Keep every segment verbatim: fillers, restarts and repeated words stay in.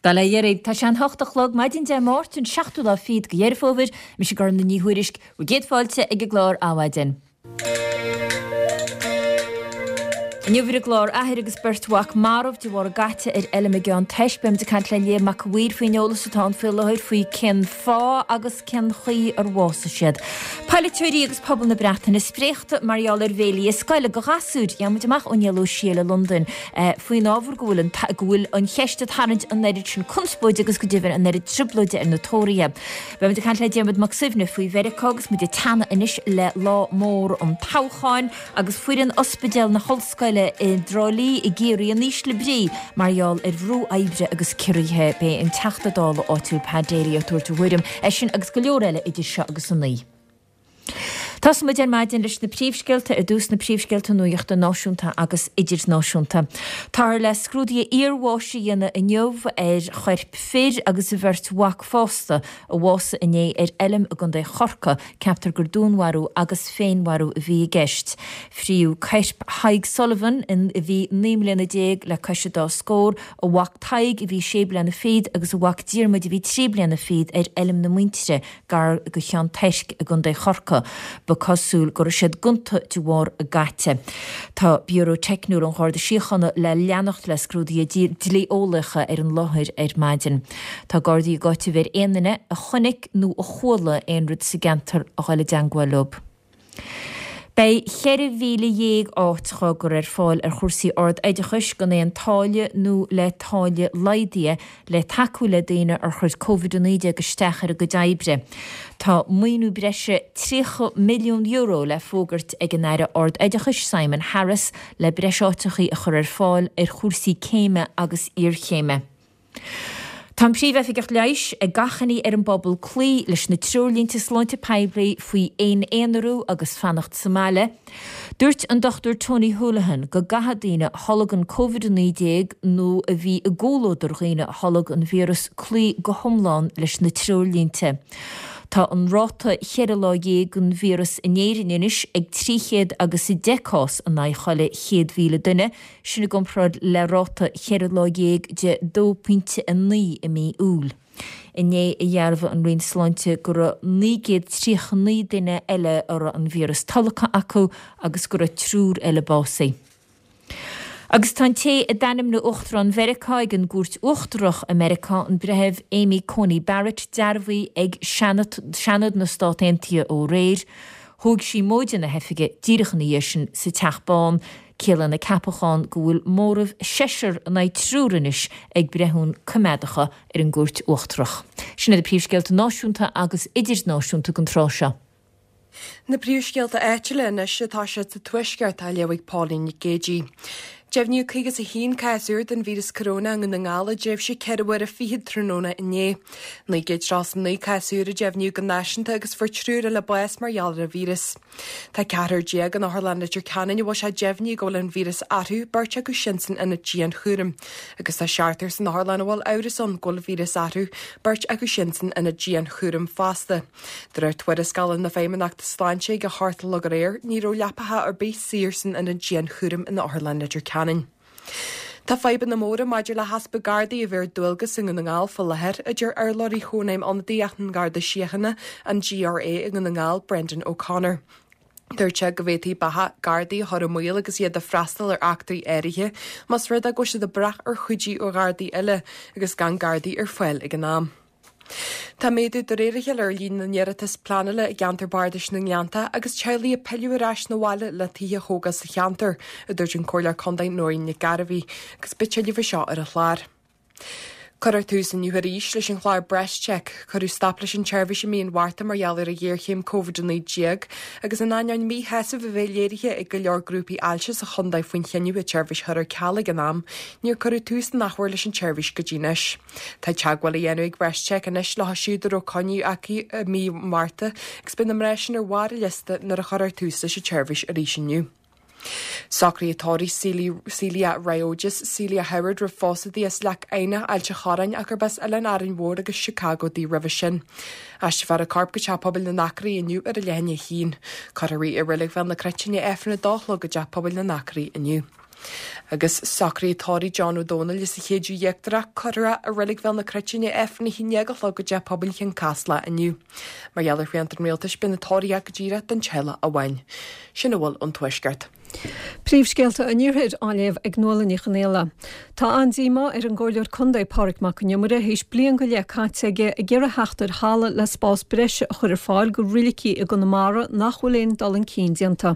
Bail ó Dhia oraibh. Tá sé an hocht a chlog maidin Dé Máirt an seachtú lá fichead de Dheireadh Fómhair, mise Gormfhlaith Ní Thuairisg, bhur gcéad fáilte ag an gclár Adhmhaidin. Inniu ar an gclár athair agus beirt mhac marbh de bharr a gcaite ar fheilm i gCeann Toisc. Beimid ag caint le Liam Mac a' Mhaoir faoin eolas atá ann faoi láthair faoi cén fáth agus cén chaoi ar bhásaigh siad. Polaiteoirí agus pobal na Breataine spréachta mar gheall ar bhéilí scoile do ghasúir. Gheobhaidh muid amach ó Niall Ó Siail i Londain faoin ábhar go bhfuil an go bhfuil an cheist ag tarraingt an oiread sin conspóide agus go deimhin an oiread trioblóide ar na Tóraithe. Beimid ag caint le Diarmuid Mac Suibhne faoi Mheiriceá agus muid ag teannadh anois le lá mór an toghcháin agus foireann Ospidéal na hOllscoile i dTrá Lí i gCiarraí in ísle brí mar gheall ar bhrú oibre agus ciorruithe. Beidh an Teachta Dála áitiúil Pat Daly ag tabhairt a thuairim air sin agus go leor eile idir seo agus a naoi. Tosóidh muid ar maidin leis na príomhscéalta ar dtús na príomhscéalta nuachta náisiúnta agus idirnáisiúnta. Táthar le scrúduithe iarbháis a dhéanamh inniu ar choirp fir agus a bheirt mhac fásta a bhásaigh inné ar fheilm i gContae Chorcaí. Ceaptar gur dúnmharú agus féinmharú a bhí i gceist. Fríodh coirp Thadhg Sullivan, a bhí naoi mbliana déag le cois a dá scór, a mhac Tadhg a bhí sé bliana fichead agus a mhac Diarmuid a bhí trí bliana fichead ar fheilm na muintire gar do Cheann Toisc i gContae Chorcaí. Ba cosúil go raibh siad gonta de bharr a gcaite. Tá Biúró Teicniúil an Gharda Síochána le leanacht le scrúduithe dlí-eolaíocha ar an láthair ar maidin. Tá Gardaí ag áiteamh ar aon duine a chonaic nó a chuala aon rud sa gceantar a dhul i dteangmháil leo. Beidh ceithre mhíle dhéag áit á gcur ar fáil ar chúrsaí ard-oideachais gan aon táille nó le táille laghdaithe le tacú le daoine ar chuir Covid a naoi déag isteach ar a gcuid oibre. Tá maoiniú breise tríocha milliún euro le fógairt ag an Aire Ard-Oideachais Simon Harris le breis áiteachaí a chur ar fáil ar chúrsaí céime agus iarchéime. Tá an Príomh-Oifigeach Leighis ag achainí ar an bpobal cloí leis na treoirlínte sláinte poiblí faoi fhéin-aonarú agus fanacht sa mbaile. Dúirt an Dochtúir Tony Holohan go gcaithfidh daoine a tholg an Covid a naoi déag nó a bhí i gcomhluadar dhaoine a tholg an víreas cloí go hiomlán leis na treoirlínte. Tá an ráta cheithre lá dhéag den víreas in Éirinn anois ag trí chéad agus a deich cás in aghaidh chuile chéad mhíle duine, sin i gcomparáid le ráta cheithre lá dhéag de dó pointe a naoi i mí Iúil. Inné a dhearbhaigh an Roinn Sláinte go raibh naoi gcéad tríocha naoi duine eile a raibh an víreas tolgtha acu agus go raibh triúr eile básaithe. Agus tá an té a d'ainmnigh Uachtarán Mheiriceá ag an gCúirt Uachtarach i Meiriceá, an Breitheamh Amy Coney Barrett, dearbhaithe ag Seanad na Stát Aontaithe ó aréir. Thóg sí móide na hoifige díreach ina dhiaidh sin sa Teach Bán. Ciallaíonn a ceapachán go bhfuil móramh seisear in aghaidh triúr anois ag breithiúna coimeádacha ar an gCúirt Uachtarach. Sin iad na príomhscéalta náisiúnta agus idirnáisiúnta don tráth seo. Na príomhscéalta áitiúla anois atá siad sa Tuaisceart á léamh ag Pauline Nic Géadaigh. Deimhníodh caoga is a haon cás úr den víreas coróna i nDún na nGall i dtréimhse ceithre huaire fichead tráthnóna inné. Naoi gcéad tríocha naoi cás úr a deimhníodh go náisiúnta agus fuair triúr eile bás mar gheall ar an víreas. Tá ceathrar déag in Otharlann Leitir Ceanainn a bhfuil sé deimhnithe go bhfuil an víreas orthu, beirt acu sin san ionad dianchúraim. Agus tá seachtar san otharlann a bhfuil amhras ann go bhfuil an víreas orthu, beirt acu sin san ionad dianchúraim fosta. De réir tuarascála na Feidhmeannachta Sláinte ag a hocht a chlog aréir, ní raibh leapacha ar bith saor san ionad dianchúraim in Otharlann Leitir Ceanainn. Tá fadhbanna móra maidir le heaspa Gardaí a bheith ar dualgas i nDún na nGall faoi láthair, a deir urlabhraí Chónaidhm Ionadaíoch na nGardaí Síochána, an GRA i nDún na nGall, Brendan O'Connor. Dúirt sé go bhféadfaí beatha Gardaí a chur i mbaol agus iad ag freastal ar eachtraí áirithe más rud é go bhfuil siad ag brath ar chuidiú ó Ghardaí eile agus gan Gardaí ar fáil ag an am. Tá méadú de réir a chéile ar líon na n-iarratas pleanála i gceantar Bardais na nGleannta agus teaghlaigh ag pilleadh ar ais 'na bhaile le tithe a thógáil sa cheantar, a dúirt an Comhairleoir Contae Nóirín Nic Gairbhí, agus beidh tuilleadh faoi seo ar an chlár. Cuirfear tús inniu arís leis an chlár BreastCheck. Cuireadh stop leis an tseirbhís i mí an Mhárta mar gheall ar an ghéarchéim Covid a naoi déag agus in ainneoin míshásamh a bheith léirithe ag go leor grúpaí ailse sa chontae faoin chinneadh an tseirbhís a chur ar ceal ag an am, níor cuireadh tús in athuair leis an tseirbhís go dtí anois. Tá teagmháil á dhéanamh ag BreastCheck anois leo siúd a raibh coinne acu i mí an Mhárta agus beidh na mná sin ar bharr an liosta nuair a chuirfear tús leis an tseirbhís arís inniu. Socruithe tórraimh Celia Riojas, Celia Howard roimh phósadh di as Leac Eidhneach, Ailt an Chorráin ach gurb as Oileán Árainn Mhór agus Chicago di roimhe sin. Aistreofar a corp go Teach Pobail na nAcraí inniu ar a leath i ndiaidh a haon. Cuirfear í i Reilig Bhéal na Cruite i ndiaidh Aifreann a dó a chlog i dTeach Pobail na nAcraí inniu. Agus socruithe tórraimh John Ó Dónaill as an Chéideadh Íochtarach curtha i Reilig Bhéal na Cruite i ndiaidh Aifreann a haon déag a chlog i dTeach Pobail Chionn Caslach inniu. Mar gheall ar shrianta an rialtais beidh na tórraimh go díreach don teaghlach amháin. Sin a bhfuil ón Tuaisceart. Príomhscéalta an Iarthair á léamh ag Nuala Ní Chonghaile. Tá an-díomá ar an gComhairleoir Contae Pádraig Mac Con Iomaire théis bliain go leith caite aige ag iarraidh theacht ar thalamh le spás breise a chur ar fáil go roilicí i gConamara nach bhfuil aon dul chun cinn déanta.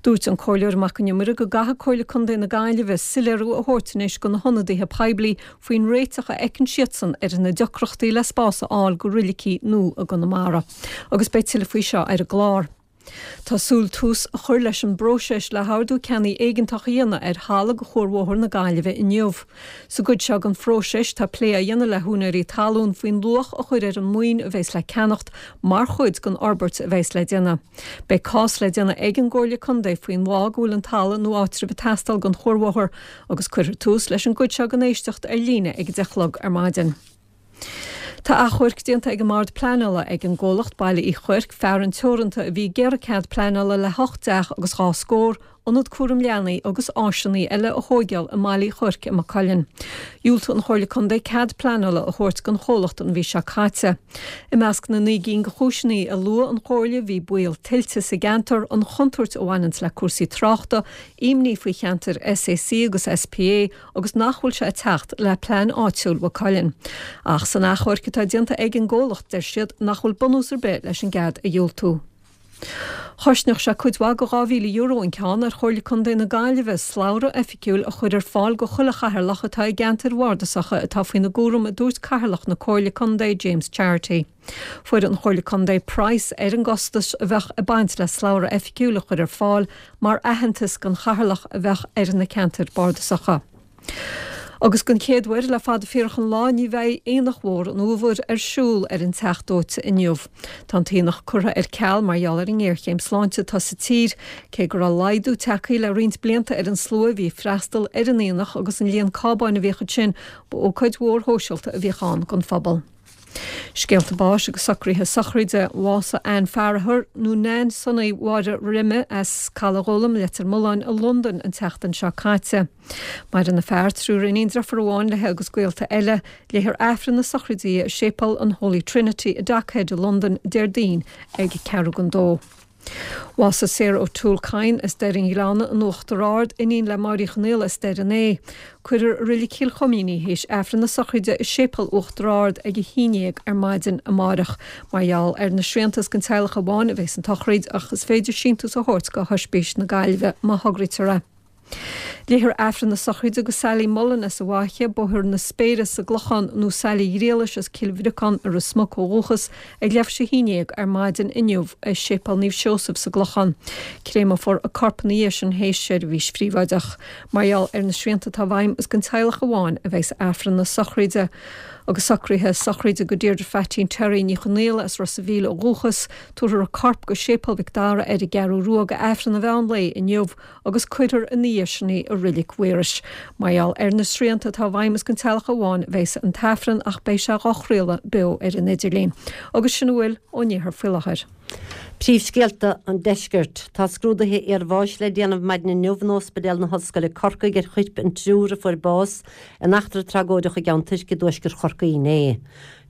Dúirt an Comhairleoir Mac Con Iomaire go gcaithfidh Comhairle Contae na Gaillimhe soiléiriú a thabhairt anois go na hionadaithe poiblí faoin réiteach a fheiceann siadsan ar na deacrachtaí le spás a fháil go roilicí nua i gConamara. Agus beidh tuilleadh faoi seo ar an gclár. Tá súil tús a chur leis an bpróiseas le hordú ceannaigh éigeantach a dhéanamh ar thalamh go Chuarbhóthar na Gaillimhe inniu. Sa gcuid seo den phróiseas tá plé á dhéanamh le húinéirí talún faoin luach a chur ar an maoin a bheas le ceannacht mar chuid den fhorbairt a bheas le déanamh. Beidh cás le déanamh ag an gComhairle Contae faoin bhfáth go bhfuil an talamh nó áitreabh ag teastáil don chuarbhóthar agus cuirfear tús leis an gcuid seo den éisteacht ar líne ag a deich a chlog ar maidin. Tá achomharc déanta ag an mBord Pleanála ag an gcomhlacht Baile Uí Chuirc, Fearann Teoranta a bhí ag iarraidh cead pleanála le hocht dteach agus dhá scór, ionad cúram leanaí agus áiseanna eile a thóigeáil i mBaile Uí Chuirc i Maigh Cuilinn. Dhiúltaigh an Chomhairle Contae cead pleanála a thabhairt don chomhlacht an mhí seo caite. I measc na naoi gcinn de chúiseanna a luaigh an Chomhairle bhí baol tuilte sa gceantar, an chontúirt a bhaineanns le cúrsaí tráchta, imní faoi cheantair SAC agus SPA agus nach bhfuil sé ag teacht le plean áitiúil Mhaigh Cuilinn. Ach san achomharc atá déanta ag an gcomhlacht deir siad nach bhfuil bunús ar bith leis an gcead a dhiúltú. Chosnódh sé cuid mhaith de dhá mhíle euro an ceann ar Chomhairle Contae na Gaillimhe slabhra oifigiúil a chur ar fáil go chuile chathaoirleach atá i gceantair bhardasacha atá faoina gcúram a dúirt Cathaoirleach na Comhairle Contae James Charity. Fuair an Chomhairle Contae praghas ar an gcostas a bheadh ag baint le slabhra oifigiúil a chur ar fáil mar aitheantas don chathaoirleach a bheadh ar na ceantair bardasacha. Agus den chéad uair le fada fíorach an lá ní bheidh Aonach Mhór an Fhómhair ar siúl ar an Teach Dóite inniu. Tá an t-aonach curtha ar ceal mar gheall ar an ngéarchéim sláinte atá sa tír, cé go raibh laghdú tagtha le roinnt blianta ar an slua a bhí ag freastal ar an aonach agus an líon cábáin a bhíodh ansin, ba ócáid mhór shóisialta a bhíodh ann don phobal. Scéalta báis agus socruithe sochraide bhásaigh Ann Farragher nó Nan Sonaí Mháire Rime as Caladh Gólaim Leitir Mealláin i Londain an tseachtain seo caite. Maireann a fear, triúr iníon, deirfiúr amháin léi agus gaolta eile. Léifear Aifreann na sochraide di i Séipéal an Holy Trinity i Dockhead i Londain Déardaoin ag ceathrú don dó. Bhásaigh Sarah O'Toole Kyne as Doire an Ghleanna in Uachtar Ard, iníon le Máirín Uí Chonaola as Doire an Ae. Cuirfear i Reilig Chill Choimín í théis Aifreann na sochraide i Séipéal Uachtar Ard ag a haon déag ar maidin amárach. Mar gheall ar na srianta is don teaghlach amháin a bheas an tsochraid ach is féidir síntiús a thabhairt go hOispís na Gaillimhe má thograítear é. Léifear Aifreann na sochraide go Sally Mullen as an bhFaiche, Bóthar na Spéire sa gClochán nó Sally Ghriallais as Cill Bhriocáin i Ros Muc ó dhúchas ag leathuair tar éis a haon déag ar maidin inniu i Séipéal Naomh Seosamh sa gClochán. Créamófar a corp ina dhiaidh sin théis seirbhís phríobháideach. Mar gheall ar na srianta atá i bhfeidhm is don teaghlach amháin a bheas Aifreann na sochraide. Agus socruithe sochraide go Deirdre Phatín Terry Ní Chonaola as Ros a' Mhíl ó dhúchas, tabharfar a corp go Séipéal Mhic Dara ar an gCeathrú Rua go Aifreann an mheán lae inniu agus cuirfear ina dhiaidh sin í i Reilig Mhaorais. Mar gheall ar na srianta atá i bhfeidhm is don teaghlach amháin a bheas an t-aifreann ach beidh sé dhá chraoladh beo ar an idirlíon. Agus sin a bhfuil ón iarthar faoi láthair. Príomhscéalta an Deiscirt. Tá scrúduithe iarbháis le déanamh maidin inniu in Ospidéal na hOllscoile Corcaigh ar choirp an triúr a fuair bás in eachtra tragóideach i gCeann Tuirce i dtuaisceart Chorcaí inné.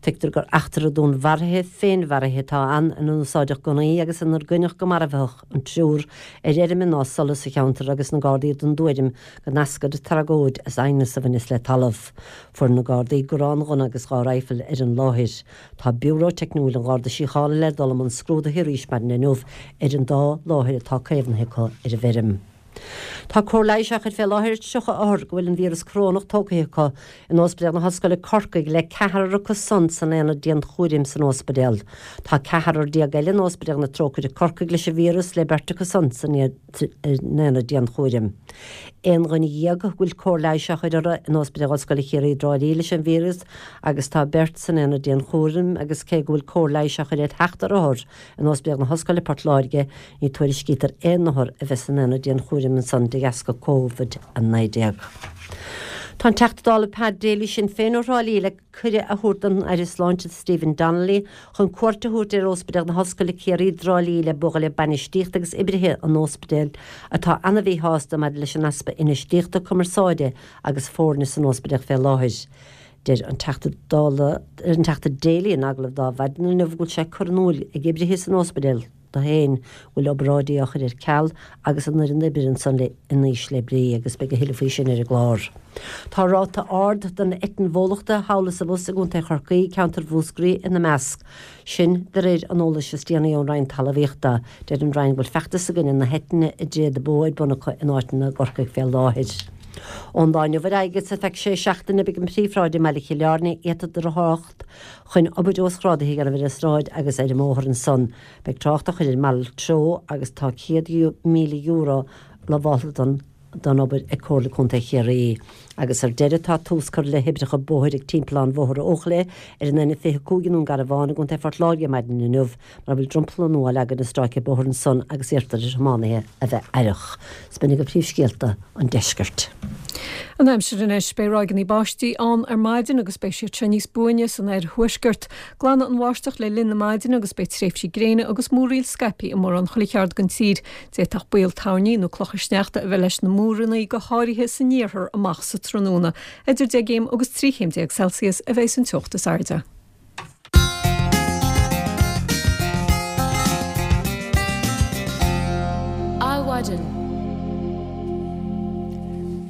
Tuigtear gur eachtra dúnmharaithe, féinmharaithe atá ann ina n-úsáideadh gunnaí agus inar goineadh go marbhthach an triúr ar fheirm i Nás Sola sa cheantar agus na Gardaí den dtuairim go n-eascair an tragóid as aighneas a bhaineas le talamh. Fuair na Gardaí gránghunna agus dhá raidhfil ar an láthair. Tá Biúró Teicniúil an Gharda Síochána le dul i mbun scrúdaithe arís maidin inniu ar an dá láthair atá caomhnaithe acu ar an bhfeirm. Tá cóir leighis á chur fé láthair ar tríocha othar go bhfuil an víreas corónach tógtha acu in Ospidéal na hOllscoile Corcaigh le ceathrar acu san san aonad dianchúraim san ospidéal. Tá ceathrar déag eile in Ospidéal na Trócaire Corcaigh leis an víreas le beirt acu san san aonad dianchúraim. Aon dhuine dhéag go bhfuil cóir leighis á chur orthu in Ospidéal Ollscoile Chiarraí i dTrá Lí leis an víreas agus tá beirt san aonad dianchúraim agus cé go bhfuil cóir leighis á chur ar sheachtar othar in Ospidéal na hOllscoile Port Láirge ní tuairiscítear aon othar a bheith san aonad dianchúraim ansan de dheasca Covid a naoi déag. Tá an Teachta Dála Pat Daly Sinn Féin ó Thrá Lí le cuireadh a thabhairt don Aire Sláinte Stephen Donnelly chun cuairt a thabhairt ar Ospidéal na hOllscoile Ciarraí i dTrá Lí le bualadh le bainistíocht agus oibrithe an ospidéil atá an-mhíshásta maidir leis an easpa infheistíochta cumarsáide agus foirne san ospidéal fé láthair. Deir an Teachta Dála an Teachta Daly in agallamh do Adhmhaidin inniu go bhfuil sé curtha in iúl ag oibrithe san ospidéal dó féin go bhfuil obráidí á chur ar ceal agus an fhoireann oibre ansan le in ísle brí agus beidh a thuilleadh faoi sin ar an gclár. Tá ráta ard den eitinn bhólachta thall is abhus i gContae Chorcaí, ceantar Mhúscraí ina measc. Sin de réir an eolais is déanaí ón Roinn Talmhaíochta. Deir an Roinn go bhfuil feachtas i gcoinne na heitinne i dtréada bó ar bun acu in áiteanna i gCorcaigh fé láthair. Ón lá inniu ar aghaidh agus ar feadh sé seachtaine beidh an phríomhshráid i mbaile Chill Airne iata do thrácht chun obair uasghrádaithe a dhéanamh ar an sráid agus ar an mbóthar ansan. Beidh trácht á chur ar malairt treo agus tá céad míle euro lamhálta don don obair ag Comhairle Contae Chiarraí. Agus ar deireadh tá tús curtha le hoibreacha bóthair ag Timpeallán Bhóthar Eochaille ar an N fiche cúig i nDún Garbhán i gContae Phort Láirge maidin inniu, mar a bhfuil dromchla nua á leagan ar stráice bóthair ansan agus iarrtar ar thiománaithe a bheith aireach. 'S b'in agaibh príomhscéalta an deiscirt. An aimsir anois, beidh ráigeanna báistí ann ar maidin agus beidh siad seo níos buaine san oirthuaisceart. Glanfaidh an bháisteach le linn na maidine agus beidh tréimhsí gréine agus múraíl scaipthe i mórán chuile cheard den tír. D'fhéadfadh baol toirní nó clocha sneachta a bheith leis na múranna, go háirithe san iarthar amach sa tráthnóna. Idir deich gcéim agus trí chéim déag Celsius a bheidh an teocht is airde. Adhmhaidin.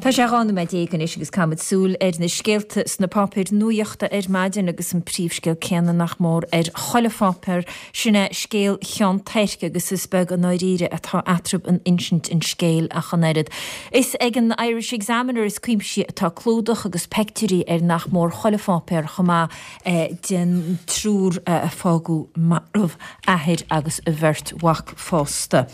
Tá sé dhá nóiméad déag anois agus caithfimid súil ar na scéalta sna páipéir nuachta ar maidin agus an príomhscéal céanna nach mór ar chuile pháipéar, sin é scéal Cheann Toirc agus is beag an ndáiríre atá eatarthu in insint an scéil ach an oiread. Is ag an Irish Examiner is cuimsí atá clúdach agus peictiúirí ar nach mór chuile pháipéar chomh maith den triúr a fágadh marbh, athair agus a bheirt mhac fosta.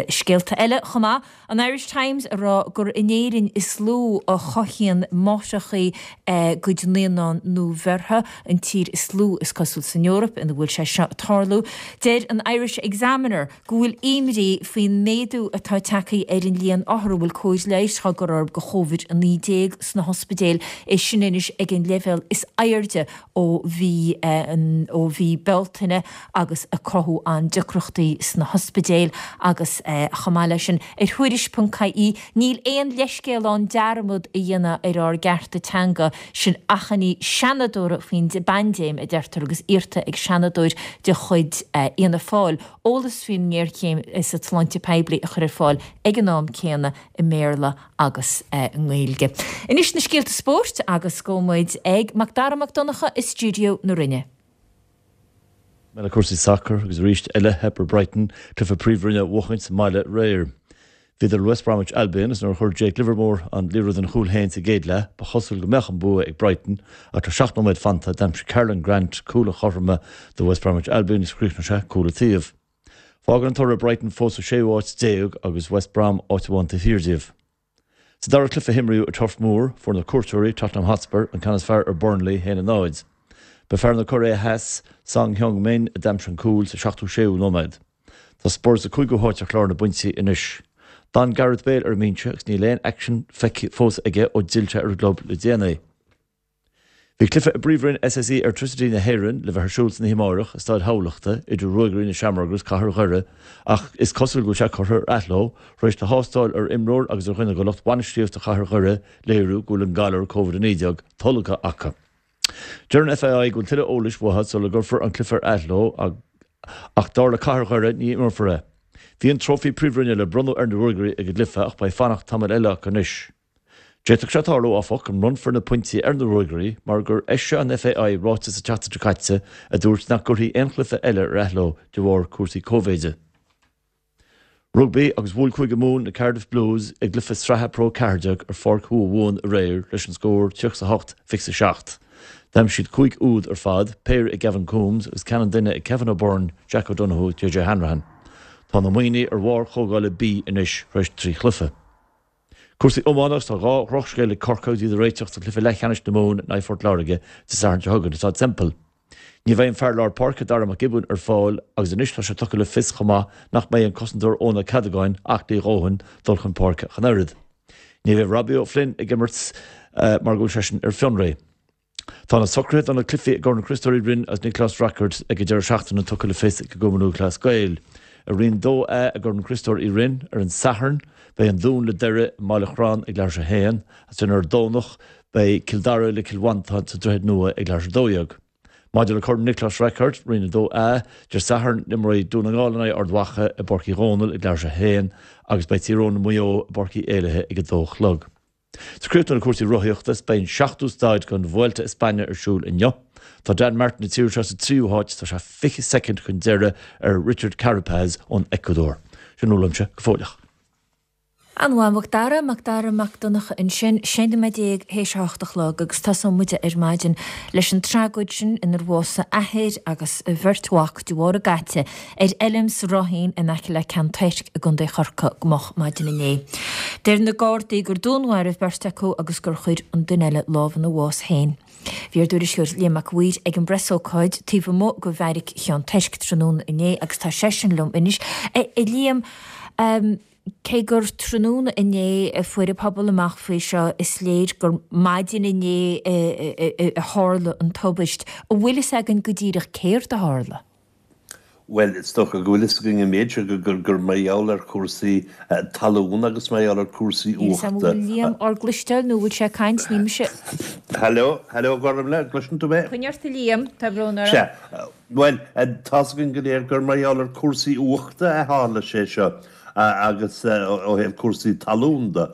Scéalta eile chomh maith, an Irish Times ag rá gur in Éirinn is lú a chothaíonn máithreacha a gcuid naíonán nuabheirthe, an tír is lú is cosúil san Eoraip ina bhfuil sé seo ag tarlú. Deir an Irish Examiner go bhfuil imní faoin méadú atá tagtha ar an líon othar a bhfuil cóir leighis á gcur orthu do Chóivid a naoi déag sna hospidéil, é sin anois ag an leibhéal is airde ó mhí ó mhí Bealtaine agus ag cruthú an-deacrachtaí sna hospidéil agus chomh maith leis sin ar Thuairisc ponc ie níl aon leithscéal ann dearmad a dhéanamh ar ár gcearta teanga, sin achainí seanadóra faoin bpaindéim a deirtear agus iarrta ag seanadóir de chuid Fhianna Fáil eolas faoin ngéarchéim sa tsláinte poiblí a chur ar fáil ag an am céanna i mBéarla agus i nGaeilge. Anois na scéalta spóirt agus gabhfaidh muid ag Macdara Mac Donncha i stiúideo na Rinne. Le cúrsaí sacair agus arís eile theip ar Brighton cluiche Príomhroinne a bhuachaint sa mbaile aréir. Bhíodar le West Bromwich Albion agus nuair a chuir Jake Livermore an liathróid ina chúl féin sa gcéad leath, ba chosúil go mbeadh an bua ag Brighton ach le seacht nóiméad fanta d'aimsigh Karlan Grant cúl an chothroime do West Bromwich Albion agus chríochnaigh sé cúl an taobh. Fágann an toradh Brighton fós sa séú háit déag agus West Brom áit amháin taobh thiar díobh. Sa dara cluiche a himríodh ar Turf Moor, fuair na cuairteoirí, Tottenham Hotspur, an ceann is fearr ar Burnley, a haon a náid. Ba fear na Cóiré Theas, Son Heung-min, a d'aimsigh an cúl sa seachtó séú nóiméad. Tá Spurs sa cúigiú háit ar chlár na bpointí anois. D'fhan Gareth Bale ar an mbinse agus níl aon aicsean feicthe fós aige ó d'fhill sé ar an gclub le déanaí. Bhí cluiche i bPríomhroinn S S E Airtricity na hÉireann le bheith ar siúl san oíche amárach i Staid Thamhlachta idir Ruagairí na Seamróige agus Cathair Dhoire ach is cosúil go bhfuil sé curtha ar athló tar éis do thástáil ar imreoir agus ar dhuine de lucht bainistíochta Chathair Dhoire léiriú go bhfuil an galar Covid a naoi déag tolgtha acu. Deir an F A I go bhfuil tuilleadh eolais uathu sula gcuirfear an cluiche ar athló ach dar le Cathair Dhoire ní imreofar é. Bhí an trófaí Príomhroinne le bronnadh ar na Ruagairí ag an gcluiche ach beidh fanacht tamall eile acu anois. D'fhéadfadh sé tarlú, áfach, go mbronnfar na pointí ar na Ruagairí mar gur eisigh an F A I ráiteas an tseachtain seo caite a dúirt nach gcuirfí aon chluiche eile ar athló de bharr cúrsaí cóivéide. Rugbaí agus bhuail Cúige Mumhan na Cardiff Blues i gcluiche sraithe Pro ceathair déag ar Pháirc Thuamhumhan aréir leis an scór tríocha a hocht, fiche a seacht. D'aimsigh siad cúig úd ar fad, péire ag Gavin Coombes agus ceann an duine ag Kevin O'Byrne, Jack O'Donoghue, J J Hanrahan. Tá na Muimhnigh ar bharr chomhdhála B anois tar éis trí chluiche. Cúrsaí iomána agus tá dhá dhrochscéal ag Corcaigh agus iad ag réiteach do chluiche leathcheannais na Mumhan in aghaidh Phort Láirge Dé Sathairn seo chugainn i Staid Semple. Ní bheidh an fear lár páirce Dara McGibbon ar fáil agus anois tá sé tugtha le fios chomh maith nach mbeidh an cosantóir Eoin Ó Ceadagáin aclaí a dhóthain dul chun páirce ach an oiread. Ní bheidh Robbie O'Flynn ag imirt mar go bhfuil seisean ar fionraí. Tá na socruithe do na cluichí i gCorn Chriostóir Uí Rinn agus Niocláis Rackard ag an deireadh seachtaine tugtha le fios ag an gCumann Lúthchleas Gael. I Roinn dó A i gCorn Chriostóir Uí Rinn ar an Satharn, beidh an Dún le Doire i mBaile Chrann ag leathuair tar éis a haon, agus ar an Domhnach beidh Cill Dara le Cill Mhantáin sa Droichead Nua ag leathuair tar éis a dó dhéag. Maidir le Corn Niocláis Rackard, Roinn a dó A, Dé Sathairn imreoidh Dún na nGall in aghaidh Ard Mhacha i bPáirc Uí Dhónaill ag leathuair tar éis a haon agus beidh Tír Eoghain le Maigh Eo i bPáirc Uí Éilithe ag a dó a chlog. Is críochnú le cúrsaí rothaíochta is beidh an seachtú staid den Vuelta España ar siúl inniu. Tá Dan Martin na tíre seo sa tríú háit, tá sé fiche soicind chun deiridh ar Richard Carapaz ón Ecuador. Sin uaimse go fóilleach. An-mhaith, Macdara, Macdara Mac Donncha ansin, sé nóiméad déag théis a hocht a chlog agus tosóidh muid ar maidin leis an tragóid sin inar bhásaigh athair agus a bheirt mhac de bharr a gcaite ar fheilm sa Ráithín in aice le Ceann Toirc i gContae Chorcaí go moch maidin inné. Deir na Gardaí gur dúnmharaíodh beirt acu agus gur chuir an duine eile lámh ina bhás féin. Bhí ár dtuairisceoir Liam Mac a' Mhaoir ag an bpreasócáid taobh amuigh de bheairic Cheann Toirc tráthnóna inné agus tá seisean liom anois. A Liam, cé gur tráthnóna inné a fuair an pobal amach faoi seo, is léir gur maidin inné a tharla an tubaist. An bhfuil fhios againn go díreach céard a tharla? Bhuel, is dócha go bhfuil fhios againn an méid seo gur gur mar gheall ar chúrsaí talún agus mar gheall ar chúrsaí Níl fhios agam an uachta. bhfuil Liam ár gcloisteáil nó an bhfuil sé ag caint, ní mise. Hello, hello, Gormfhlaith, gcloiseann tú mé? Coinnigh ort a Liam, tá brón orm. Sea, bhuel, tá's againn go léir gur mar gheall ar chúrsaí uachta a tharla sé seo. Agus ó thaobh cúrsaí talún de,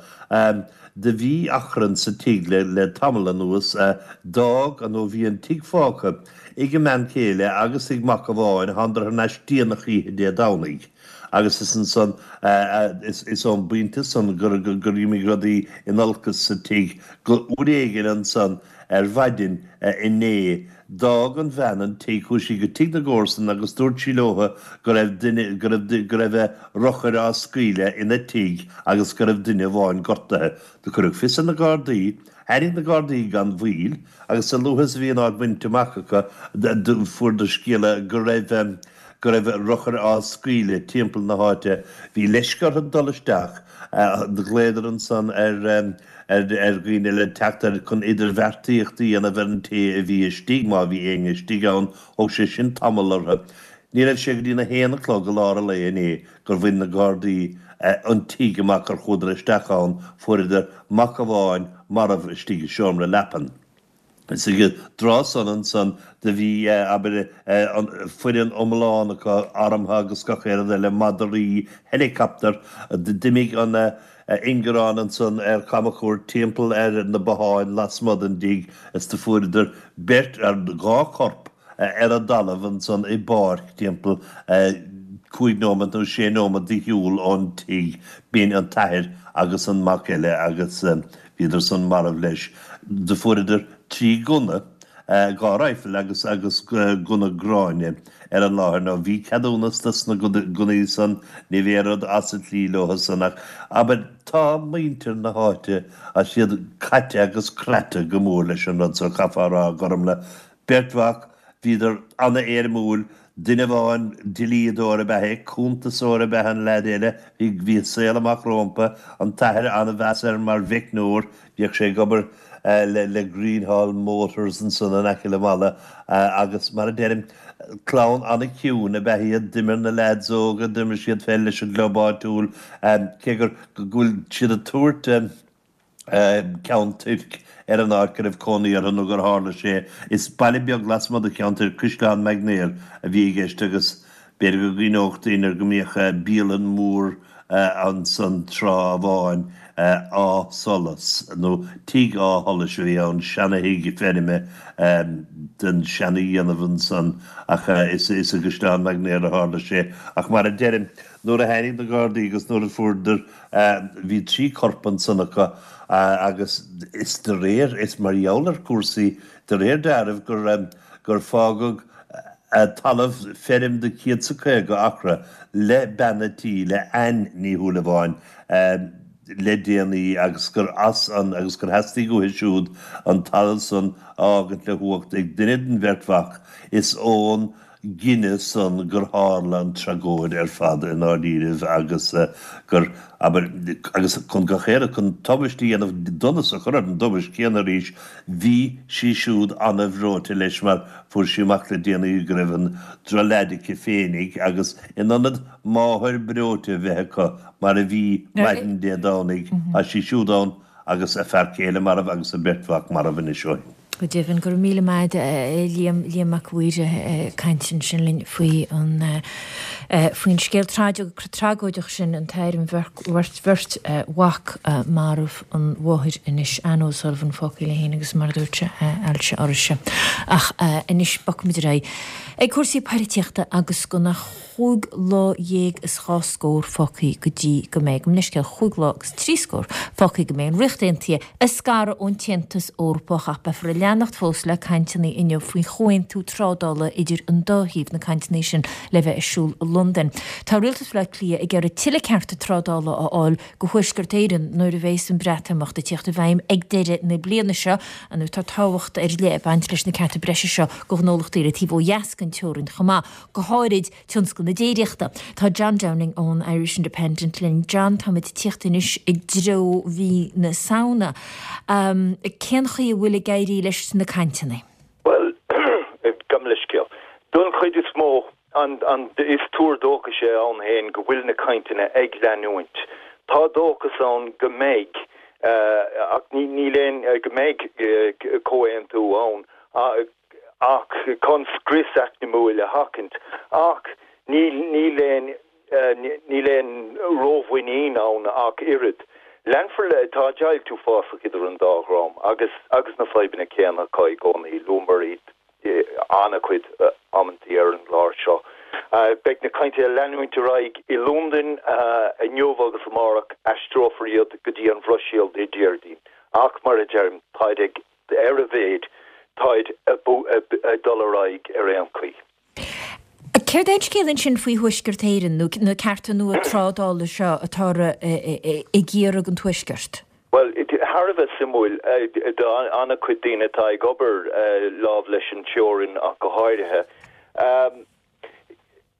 do bhí achrann sa tigh le tamall anuas. D'fhág, nó bhí an tigh fágtha ag a mbean chéile agus ag mac amháin, thánadar thar n-ais déanach oíche Dé Domhnaigh. Agus is ansan, is ón bpointe san gur imigh rudaí in olcas sa tigh go uair éigin ansan ar mhaidin inné. D'fhág an bhean an tigh, chuaigh sí go tigh na gcomharsan agus dúirt sí leo go raibh duine, go raibh, go raibh urchar á scaoileadh ina tigh agus go raibh duine amháin gortaithe. Do cuireadh fios ar na Gardaí. Tháinig na Gardaí gan mhoill agus a luaithe is a bhí an áit bainte amach acu, fuaireadar scéala go raibh, go raibh urchar á scaoileadh timpeall na háite. Bhí leisce orthu dul isteach. Do ghlaodar ansan ar. ar dhaoine le teacht ar chun idirbheartaíocht a dhéanamh ar an té a bhí istigh, má bhí éinne istigh ann. Thóg sé sin tamall orthu. Ní raibh sé go dtí na haon a chlog i lár an lae inné gur bhain na Gardaí an tigh amach gur chuadar isteach ann. Fuaireadar mac amháin marbh istigh i seomra leapan. Is ag an dtráth san ansan do bhí, abair, an foireann iomlán acu armtha agus gach aon rud eile, madraí, helicopter, d'imigh an ingearán ansan ar camchuairt timpeall ar na botháin lasmuigh den dtigh is do fuaireadar beirt, dhá chorp ar an dtalamh ansan i bpáirc timpeall cúig nóimeat nó sé nóimeat de shiúl ón tigh. B'in an t-athair agus an mac eile agus bhíodar san marbh leis. Do fuaireadar trí gunna, dhá raidhfil agus agus gunna gráinne ar an láthair. Nó bhí ceadúnas dos na gunnaí san, ní bheadh aon rud as an tslí leo san ach, abair, tá muintir na háite, tá siad caite agus craite go mór leis an rud so, chaithfeá a rá, a Ghormfhlaith. Beirt mhac, bhíodar ana-éirimiúil, duine amháin, dlíodóir ab ea é, cuntasóir ab ea an leaid eile, bhí, bhí a saol amach rómpa, an t-athair an-mheas air mar mheicneoir, bhíodh sé ag obair le, le Greenhall Motors ansan in aice le Mala agus mar a deirim, clann ana-chiúin ab ea iad, d'imir na leaids óga, d'imir siad peil leis an gclub áitiúil, cé gur, go bhfuil siad ag tabhairt. Ceann Toirc ar an áit go raibh cónaí orthu nó gur tharla sé. Is baile beag lasmuigh de Cheann Toirc, Caisleán Magnair, a bhí i gceist agus b'fhéidir go gcuimhneodh daoine go mbíodh bialann mhór ansan tráth amháin, Áth Solais, nó Tigh Áth Sholais a bhí ann, seana-thigh feirme den seana-dhéanamh ansan ach is i gCaisleán Magnair a tharla sé. Ach mar a deirim, nuair a tháinig na Gardaí agus nuair a fuaireadar Bhí trí chorp ansan acu agus is de réir, is mar gheall ar chúrsaí, de réir dealraimh gur, gur fágadh talamh feirm de céad 's a caoga acra le bean a' tí, le Anne Ní Shúilleabháin, le déanaí agus gur as an, agus gur theastaigh uaithi siúd an talamh san a fhágaint le huacht ag duine den bheirt mhac. Is ón. gcinneadh san gur tharla an tragóid ar fad i ndáiríribh agus gur, abair, agus chun gach aon, chun tubaist a dhéanamh, donas a chur ar an dtubaist chéanna arís, bhí sí siúd an-bhreoite leis mar fuair sí amach le déanaí go raibh an drochleaid aici féinig agus in ionad máthair breoite a bheith acu mar a bhí maidin Dé Domhnaigh, tá sí siúd ann agus a fear céile marbh agus a beirt mhac marbh anois ó shin. Go deimhin, go raibh míle maith agat Liam, Liam Mac a' Mhaoir ag caint ansin linn faoi an faoin scéal tragóideach sin, an t-athair, an bheirt bheirt mhac marbh, an mháthair anois, Anne O'Sullivan fágtha léi féin agus mar a dúirt sé, ailse uirthise. Ach anois bogfaimid ar aghaidh ag cúrsaí poilitíochta agus gan ach chúig lá dhéag is dhá scór fágtha go dtí go mbeidh, gabh mo leithscéal, chúig lá agus trí scór fágtha go mbeidh an Ríocht Aontaithe ag scaradh ón tAontas Eorpach ach beifear ag leanacht fós le cainteanna inniu faoi chomhaontú trádála idir an dá thaobh, na cainteanna sin le bheith ar siúl i Londain. Tá Rialtas Bhaile Átha Cliath ag iarraidh tuilleadh cearta trádála a fháil do Thuaisceart Éireann nuair a bheas an Breatimeacht ag tíocht i bhfeidhm ag deireadh na bliana seo. Nó tá tábhacht ar leith ag baint leis na cearta breise seo do ghnólachtaí ar an taobh ó dheas den teorainn chomh maith, go háirid tionscal na déiríochta. Tá John Downing ón Irish Independent linn. John, táimid ag tíocht anois i dtreo mhí na Samhna. Cén chaoi a bhfuil ag éirí leis na cainteanna? Bhuel, gabh mo leithscéal. Don chuid is mó, an, an, is tuar dóchais é ann féin go bhfuil na cainteanna ag leanúint. Tá dóchas ann go mbeidh, ach ní, níl aon, go mbeidh comhaontú ann. Ach chun scrios eacnamúil a sheachaint. Ach níl níl aon níl aon rómhuinín ann ach oiread. Leanfar le, tá deighilt uafásach idir an dá dhream agus agus na fadhbanna céanna acu i gcónaí, luamar iad an-chuid amantaí ar an gclár seo. Beidh na cainteanna ag leanúint ar aghaidh i Londain inniu agus amárach, aistreofar iad go dtí an Bhruiséil Dé Déardaoin. Ach mar a deirim, táid ag. Ar a mhéad, táid ag dul ar aghaidh ar aon chaoi. Céard é an scéal ansin faoi Thuaisceart Éireann, nó na cearta nua trádála seo atá ag iarraidh an Tuaisceart? Bhuel, thar a bheith suimiúil do an-chuid daoine atá ag obair lámh leis an teorainn ach go háirithe.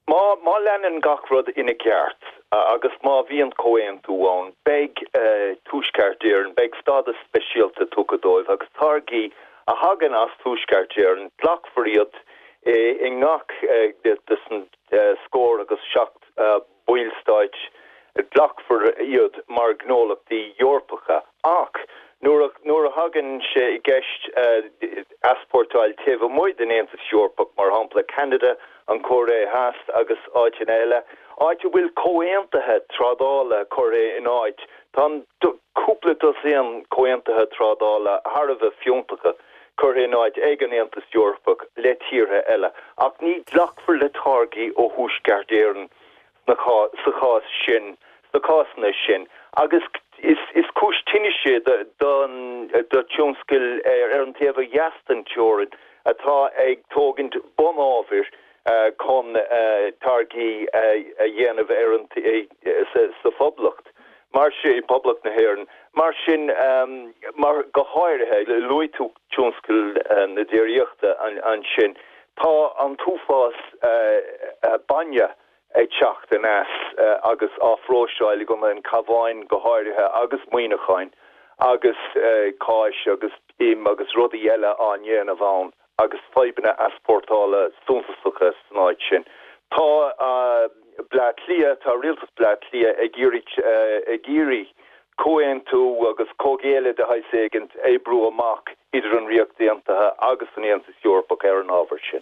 Má má leanann gach rud ina gceart agus má bhíonn comhaontú ann, beidh Tuaisceart Éireann, beidh stádas speisialta tugtha dóibh agus táirgí a thagann as Tuaisceart Éireann, glacfar iad i ngach des an scór agus seacht ballstáit, glacfar iad mar ghnólachtaí Eorpacha. Ach nuair a nuair a thagann sé i gceist easpórtáil taobh amuigh den Aontas Eorpach, mar shampla Ceanada, an Chóiré Theas agus áiteanna eile, áit a bhfuil comhaontuithe trádála curtha in áit, tá cúpla dosaen comhaontuithe trádála thar a bheith fiúntacha curtha in áit ag an Aontas Eorpach le tíortha eile, ach ní ghlacfar le táirgí ó Thuaisceart Éireann sna sa chás sin, sna cásanna sin, agus is is cúis tinnis é don do tionscail ar an taobh ó dheas den teorainn atá ag tógaint bunábhair chun táirgí a dhéanamh ar an sa Phoblacht, mar sin, Poblacht na hÉireann. Mar sin, mar go háirithe, luaigh tú tionscal na déiríochta ansin, tá an t-uafás bainne ag teacht aneas agus á phróiseáil i gContae an Chabháin go háirithe agus Muineacháin agus cáis agus im agus rudaí eile á ndéanamh ann agus fadhbanna easpórtála suntasacha san áit sin. Tá Bleá Cliath, tá rialtas Bleá Cliath ag iarraidh ag iarraidh comhaontú agus comhghéilleadh de shaghas éigin a oibriú amach idir an Ríocht Aontaithe agus an Aontas Eorpach ar an ábhar sin.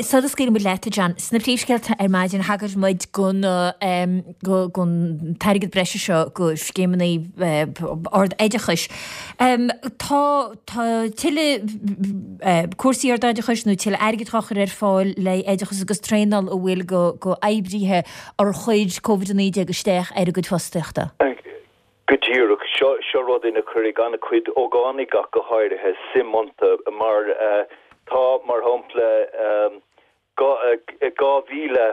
Sula scaoilimid leat, a John, sna príomhscéalta ar maidin thagair muid don t-airgead breise seo do scéimeanna ard-oideachais. Tá tuilleadh cúrsaí ardoideachais nó tuilleadh airgid á chur ar fáil le oideachas agus traenáil a bhfuil do oibrithe ar chuir Covid a naoi déag isteach ar a gcuid fostaíochta. Go díreach. Seo, seo rud ina cuirfidh an-chuid ógánaigh ach go háirithe suim iontu mar tá, mar shampla, dhá mhíle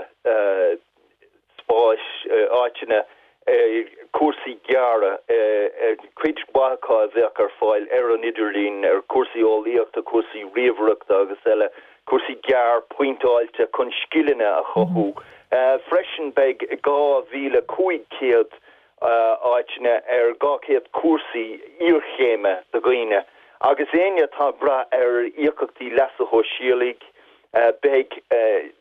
spáis, áiteanna, cúrsaí gearra, cuid mhaith acu a bheadh ar fáil ar an idirlíon, ar chúrsaí eolaíochta, cúrsaí ríomhaireachta, ríomhaireachta agus eile, cúrsaí gearr pointeáilte chun scileanna a chothú. Freisin beidh dhá mhíle cúig chéad áiteanna ar dhá chéad cúrsaí iarchéime do dhaoine agus éinne atá ag brath ar íocaíochtaí leasa shóisialaigh, beidh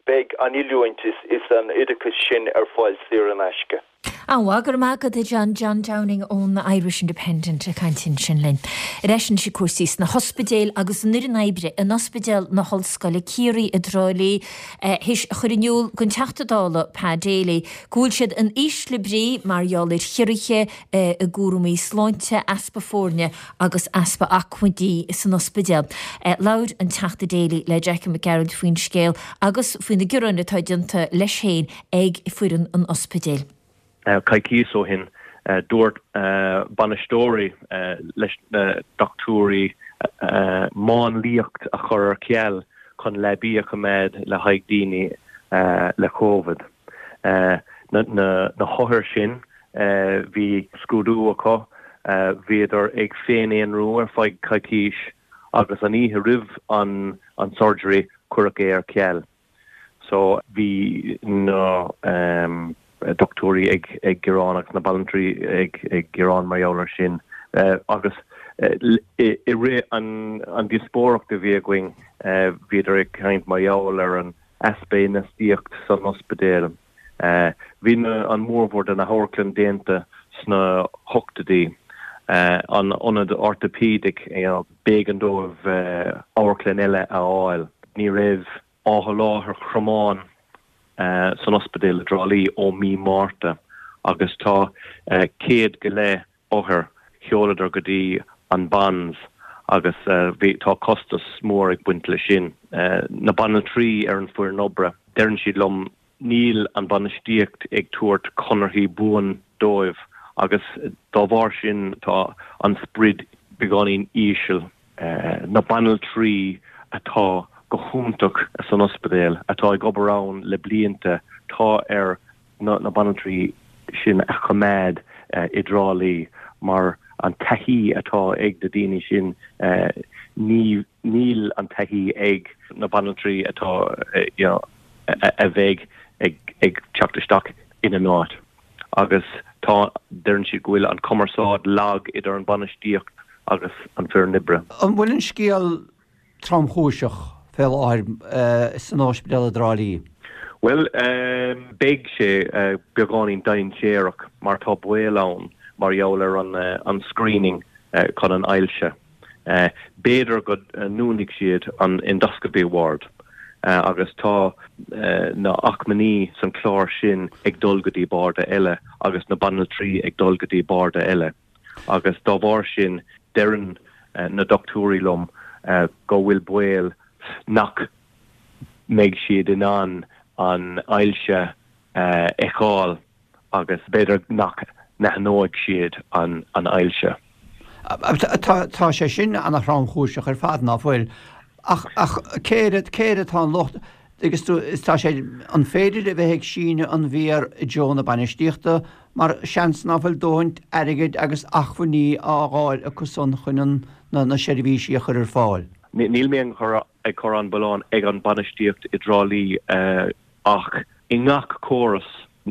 beidh an oiliúint is is an oideachas sin ar fáil saor in aisce. An-mhaith, go raibh maith agat a John, John Downing ón Irish Independent ag caint ansin linn. Ar ais anois ag cúrsaí sna hospidéil agus an fhoireann oibre in Ospidéal na hOllscoile Ciarraí i dTrá Lí théis a chur in iúl don Teachta Dála Pa Daly go bhfuil siad in ísle brí mar gheall ar chiorruithe i gcúraimí sláinte, easpa foirne agus easpa acmhainní san ospidéal. Labhair an Teachta Daly le Jackie Mac Gearailt faoin scéal agus faoi na gearáin atá déanta leis féin ag foireann an ospidéil. Coicís ó shin, dúirt bainisteoirí leis na dochtúirí máinliacht a chur ar ceal chun leabaí a choimeád le haghaidh daoine le Covid. Na hothair sin, bhí scrúdú acu, bhíodar ag féin-aonrú ar feadh coicís agus an oíche roimh an surgery cuireadh é ar ceal. So bhí na dochtúirí ag gearán agus na banaltraí ag gearán mar gheall air sin agus i rith an díospóireacht a bhí againn bhíodar ag caint mar gheall ar an easpa infheistíocht san ospidéal. Bhí an mórmhór de na hamharclann déanta sna hochtóidí, an ionad orthopaedic, b'éigean dóibh amharclann eile a fháil. Ní raibh athsholáthar cromáin san ospidéal i dTrá Lí ó mí Márta agus tá céad go leith othar, sheoladar go dtí an Bons agus bhí, tá costas mór ag baint leis sin. Na banaltraí ar an foireann oibre, deireann siad liom níl an bainistíocht ag tabhairt conarthaí buan dóibh agus dá bharr sin tá an sprid beagáinín íseal. Na banaltraí atá go hiontach san ospidéal, atá ag obair ann le blianta, tá ar na banaltraí sin a choimeád i dTrá Lí mar an taithí atá ag na daoine sin, ní níl an taithí ag na banaltraí atá you know a bheidh ag ag teacht isteach ina n-áit. Agus tá, deireann siad go bhfuil an cumarsáid lag idir an bainistíocht agus an foireann oibre. An bhfuil an scéal tromchúiseach fé láthair san ospidéal i dTrá Lí? Bhuel, beidh sé beagáinín dainséarach mar tá baol ann mar gheall ar an screening chun an ailse. B'fhéidir go ndúnfaidh siad an endoscopy ward agus tá na acmhainní san chlár sin ag dul go dtí barda eile agus na banaltraí ag dul go dtí barda eile agus dá bharr sin deireann na dochtúirí liom go bhfuil baol nach mbeidh siad in ann an ailse a fheiceáil agus b'fhéidir nach n-aithneoidh siad an ailse. Tá sé sin ana-thromchúiseach ar fad, ná fuil? Ach cé air atá an locht? Agus tá sé, an féidir a bheith ag síneadh an mhéar i dtreo na bainistíochta mar seans ná fuil dóthain airgid agus acmhainní á dh'fháil acu san chun na seirbhísí a chur ar fáil? Níl mé ag cur an milleán ag an bainistíocht i dTrá Lí ach i ngach córas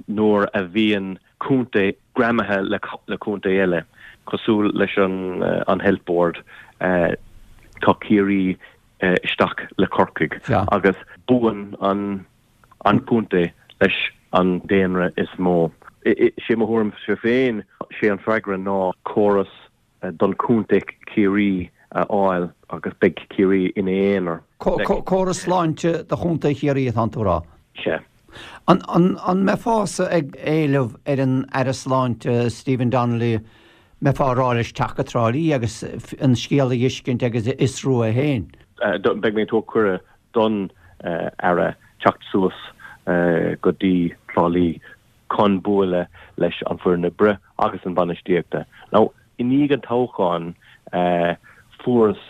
nuair a bhíonn contae greamaithe le contae eile, cosúil leis an Health Board, tá Ciarraí isteach le Corcaigh agus buann an contae leis an daonra is mó. Sé mo thuairimse féin, sé an freagra ná córas don chontae Ciarraí a fháil agus beidh Ciarraí ina aonar. Córas sláinte do chontae Chiarraí atánn tú a rá? Sea. An mbeifeása ag éileamh ar an Aire Sláinte Stephen Donnelly, mbeifeá ag rá leis teacht go Trá Lí agus an scéal a dh'fheiscint agus a fhiosrú é féin? Beidh mé ag tabhairt cuireadh don Aire teacht suas go dtí Trá Lí chun bualadh leis an foireann oibre agus an bainistíochta. Now, i ndiaidh an toghcháin, fuaireas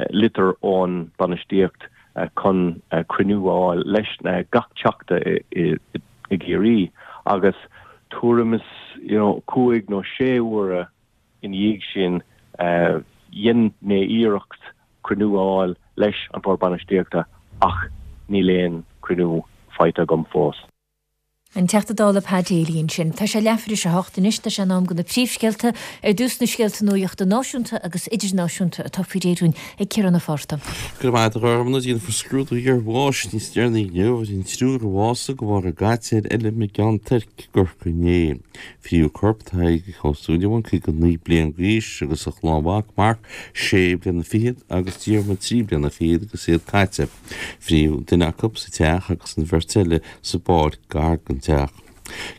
litir ón bainistíocht chun cruinniú a fháil leis gach teachta i gCiarraí agus tuairim is you know cúig nó sé huaire ina dhiaidh sin dhein mé iarracht cruinniú a fháil leis an Bhord Bainistíochta ach níl aon cruinniú faighte agam fós. An Teachta Dála Pa Daly ansin. Tá sé leathuair théis a hocht anois, tá sé in am do na príomhscéalta, ar dtús na scéalta nuachta náisiúnta agus idirnáisiúnta atá faoi réir dúinn ag Ciarán Ó Fátharta. Go raibh maith agat a Ghormfhlaith. Déanfar scrúdú iarbháis níos deireanaí inniu ar an triúr a bhásaigh de bharr a gcaite ar fheilm i gCeann Toirc i gCorcaigh inné. Frítheadh corp Tadhg Ó Súilleabháin, caoga naoi bliain d'aois, agus a chlann mhac, Marc, sé bliana fichead, agus Diarmuid, trí bliana fichead, agus iad caite. Frítheadh duine acu sa teach agus an bheirt eile sa bpáirc gar don teach.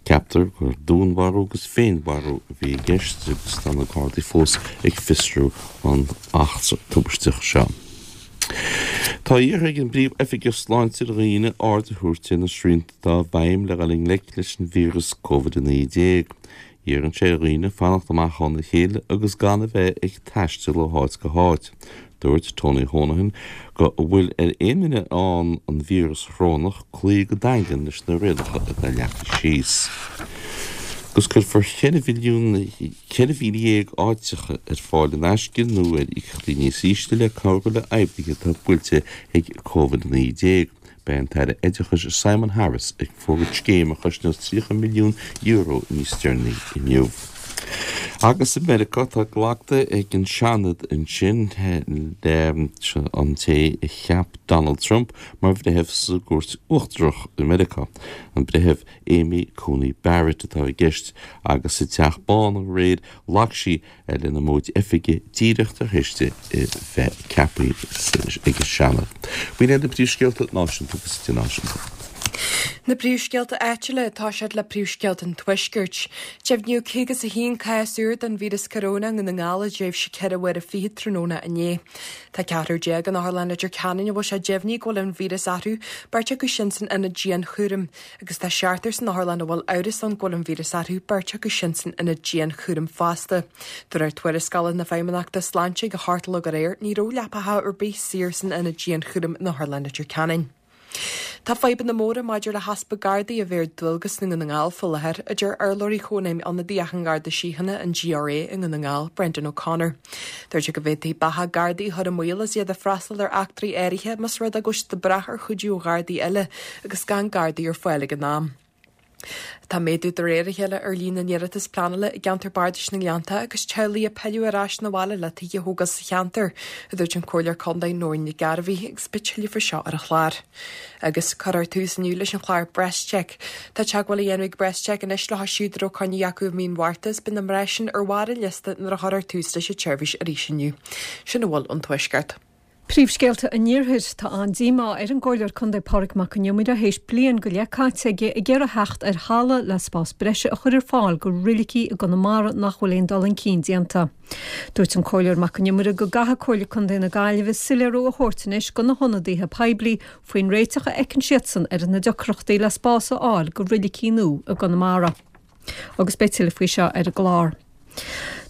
Ceaptar gur dúnmharú agus féinmharú a bhí i gceist agus tá na Gardaí fós ag fiosrú an eachtra tubaisteach seo. Tá iarrtha ag an bPríomh-Oifigeach Sláinte ar dhaoine aird a thabhairt ar na srianta atá i bhfeidhm le dhul i ngleic leis an víreas Covid a naoi déag. Iarrann sé ar dhaoine fanacht amach óna chéile agus gan a bheith ag taisteal ó háit go háit. Dúirt Tony Honohan go bhfuil ar aon duine a fhaigheann an víreas chorónach cloí go daingean leis na rialacha atá leagtha síos. Agus cuirfear ceithre mhilliún, ceithre mhíle dhéag áiteacha ar fáil in aisce nó ar íocaíochtaí níos ísle le cabhrú le oibrithe atá buailte ag Covid a naoi déag. Beidh an tAire Oideachais Simon Harris ag fógairt scéim a chosnós tríocha milliún euro níos deireanaí inniu. Agus i Meiriceá tá glactha ag an Seanad ansin le an té a cheap Donald Trump mar bhreitheamh sa gCúirt Uachtarach i Meiriceá, an Breitheamh Amy Coney Barrett atá i gceist, agus sa Teach Bán aréir ghlac sí lena móid oifige díreach tar éis di a bheith ceaptha ag an Seanad. B'in iad na príomhscéalta náisiúnta agus idirnáisiúnta. Na príomhscéalta áitiúla atá siad le príomhscéalta an Tuaiscirt. Deimhníodh caoga is a haon cás úr den víreas coróna i nDún na nGall i dtréimhse ceithre huaire fichead tráthnóna inné. Tá ceathrar déag in Otharlann Leitir Ceanainn a bhfuil sé deimhnithe go bhfuil an víreas orthu, beirt acu sin san ionad dianchúraim, agus tá seachtar san otharlann a bhfuil amhras ann go bhfuil an víreas orthu, beirt acu sin san ionad dianchúraim fosta. De réir tuarascála na Feidhmeannachta Sláinte ag a hocht a chlog aréir, ní raibh leapacha ar bith saor san ionad dianchúraim in Otharlann Leitir Ceanainn. Tá fadhbanna móra maidir le heaspa Gardaí a bheith ar dualgas i nDún na nGall faoi láthair, a deir urlabhraí Chónaidhm Ionadaíoch an Gharda Síochána, an GRA, i nDún na nGall, Brendan O'Connor. Dúirt sé go bhféadfaí beatha Gardaí a chur i mbaol is iad ag freastal ar eachtraí áirithe más rud é go bhfuil siad ag brath ar chuidiú ó Ghardaí eile agus gan Gardaí ar fáil ag an am. Tá méadú de réir a chéile ar líon na n-iarratas pleanála i gceantar bardais na nGleannta agus teaghlaigh ag pilleadh ar ais 'na bhaile le tithe a thógáil sa cheantar, a dúirt an Comhairleoir Contae Nóirín Nic Gairbhí agus beidh tuilleadh faoi seo ar an chlár. Agus cuirfear tús inniu leis an chlár BreastCheck. Tá teagmháil á dhéanamh ag BreastCheck anois leo siúd a raibh coinne acu i mí an Mhárta is beidh na mná sin ar bharr an liosta nuair a chuirfear tús leis an tseirbhís arís inniu. Sin a bhfuil ón Tuaisceart. Príomhscéalta an Iarthair, Tá an-díomá ar an gComhairleoir Contae Pádraig Mac Con Iomaire théis bliain go leith caite aige ag iarraidh theacht ar thalamh le spás breise a chur ar fáil go roilicí i gConamara nach bhfuil aon dul chun cinn déanta. Dúirt an Comhairleoir Mac Con Iomaire go gcaithfidh Comhairle Contae na Gaillimhe soiléiriú a thabhairt anois go na hionadaithe poiblí faoin réiteach a fheiceann siadsan ar na deacrachtaí le spás a fháil go roilicí nua i gConamara. Agus beidh tuilleadh faoi seo ar an gclár.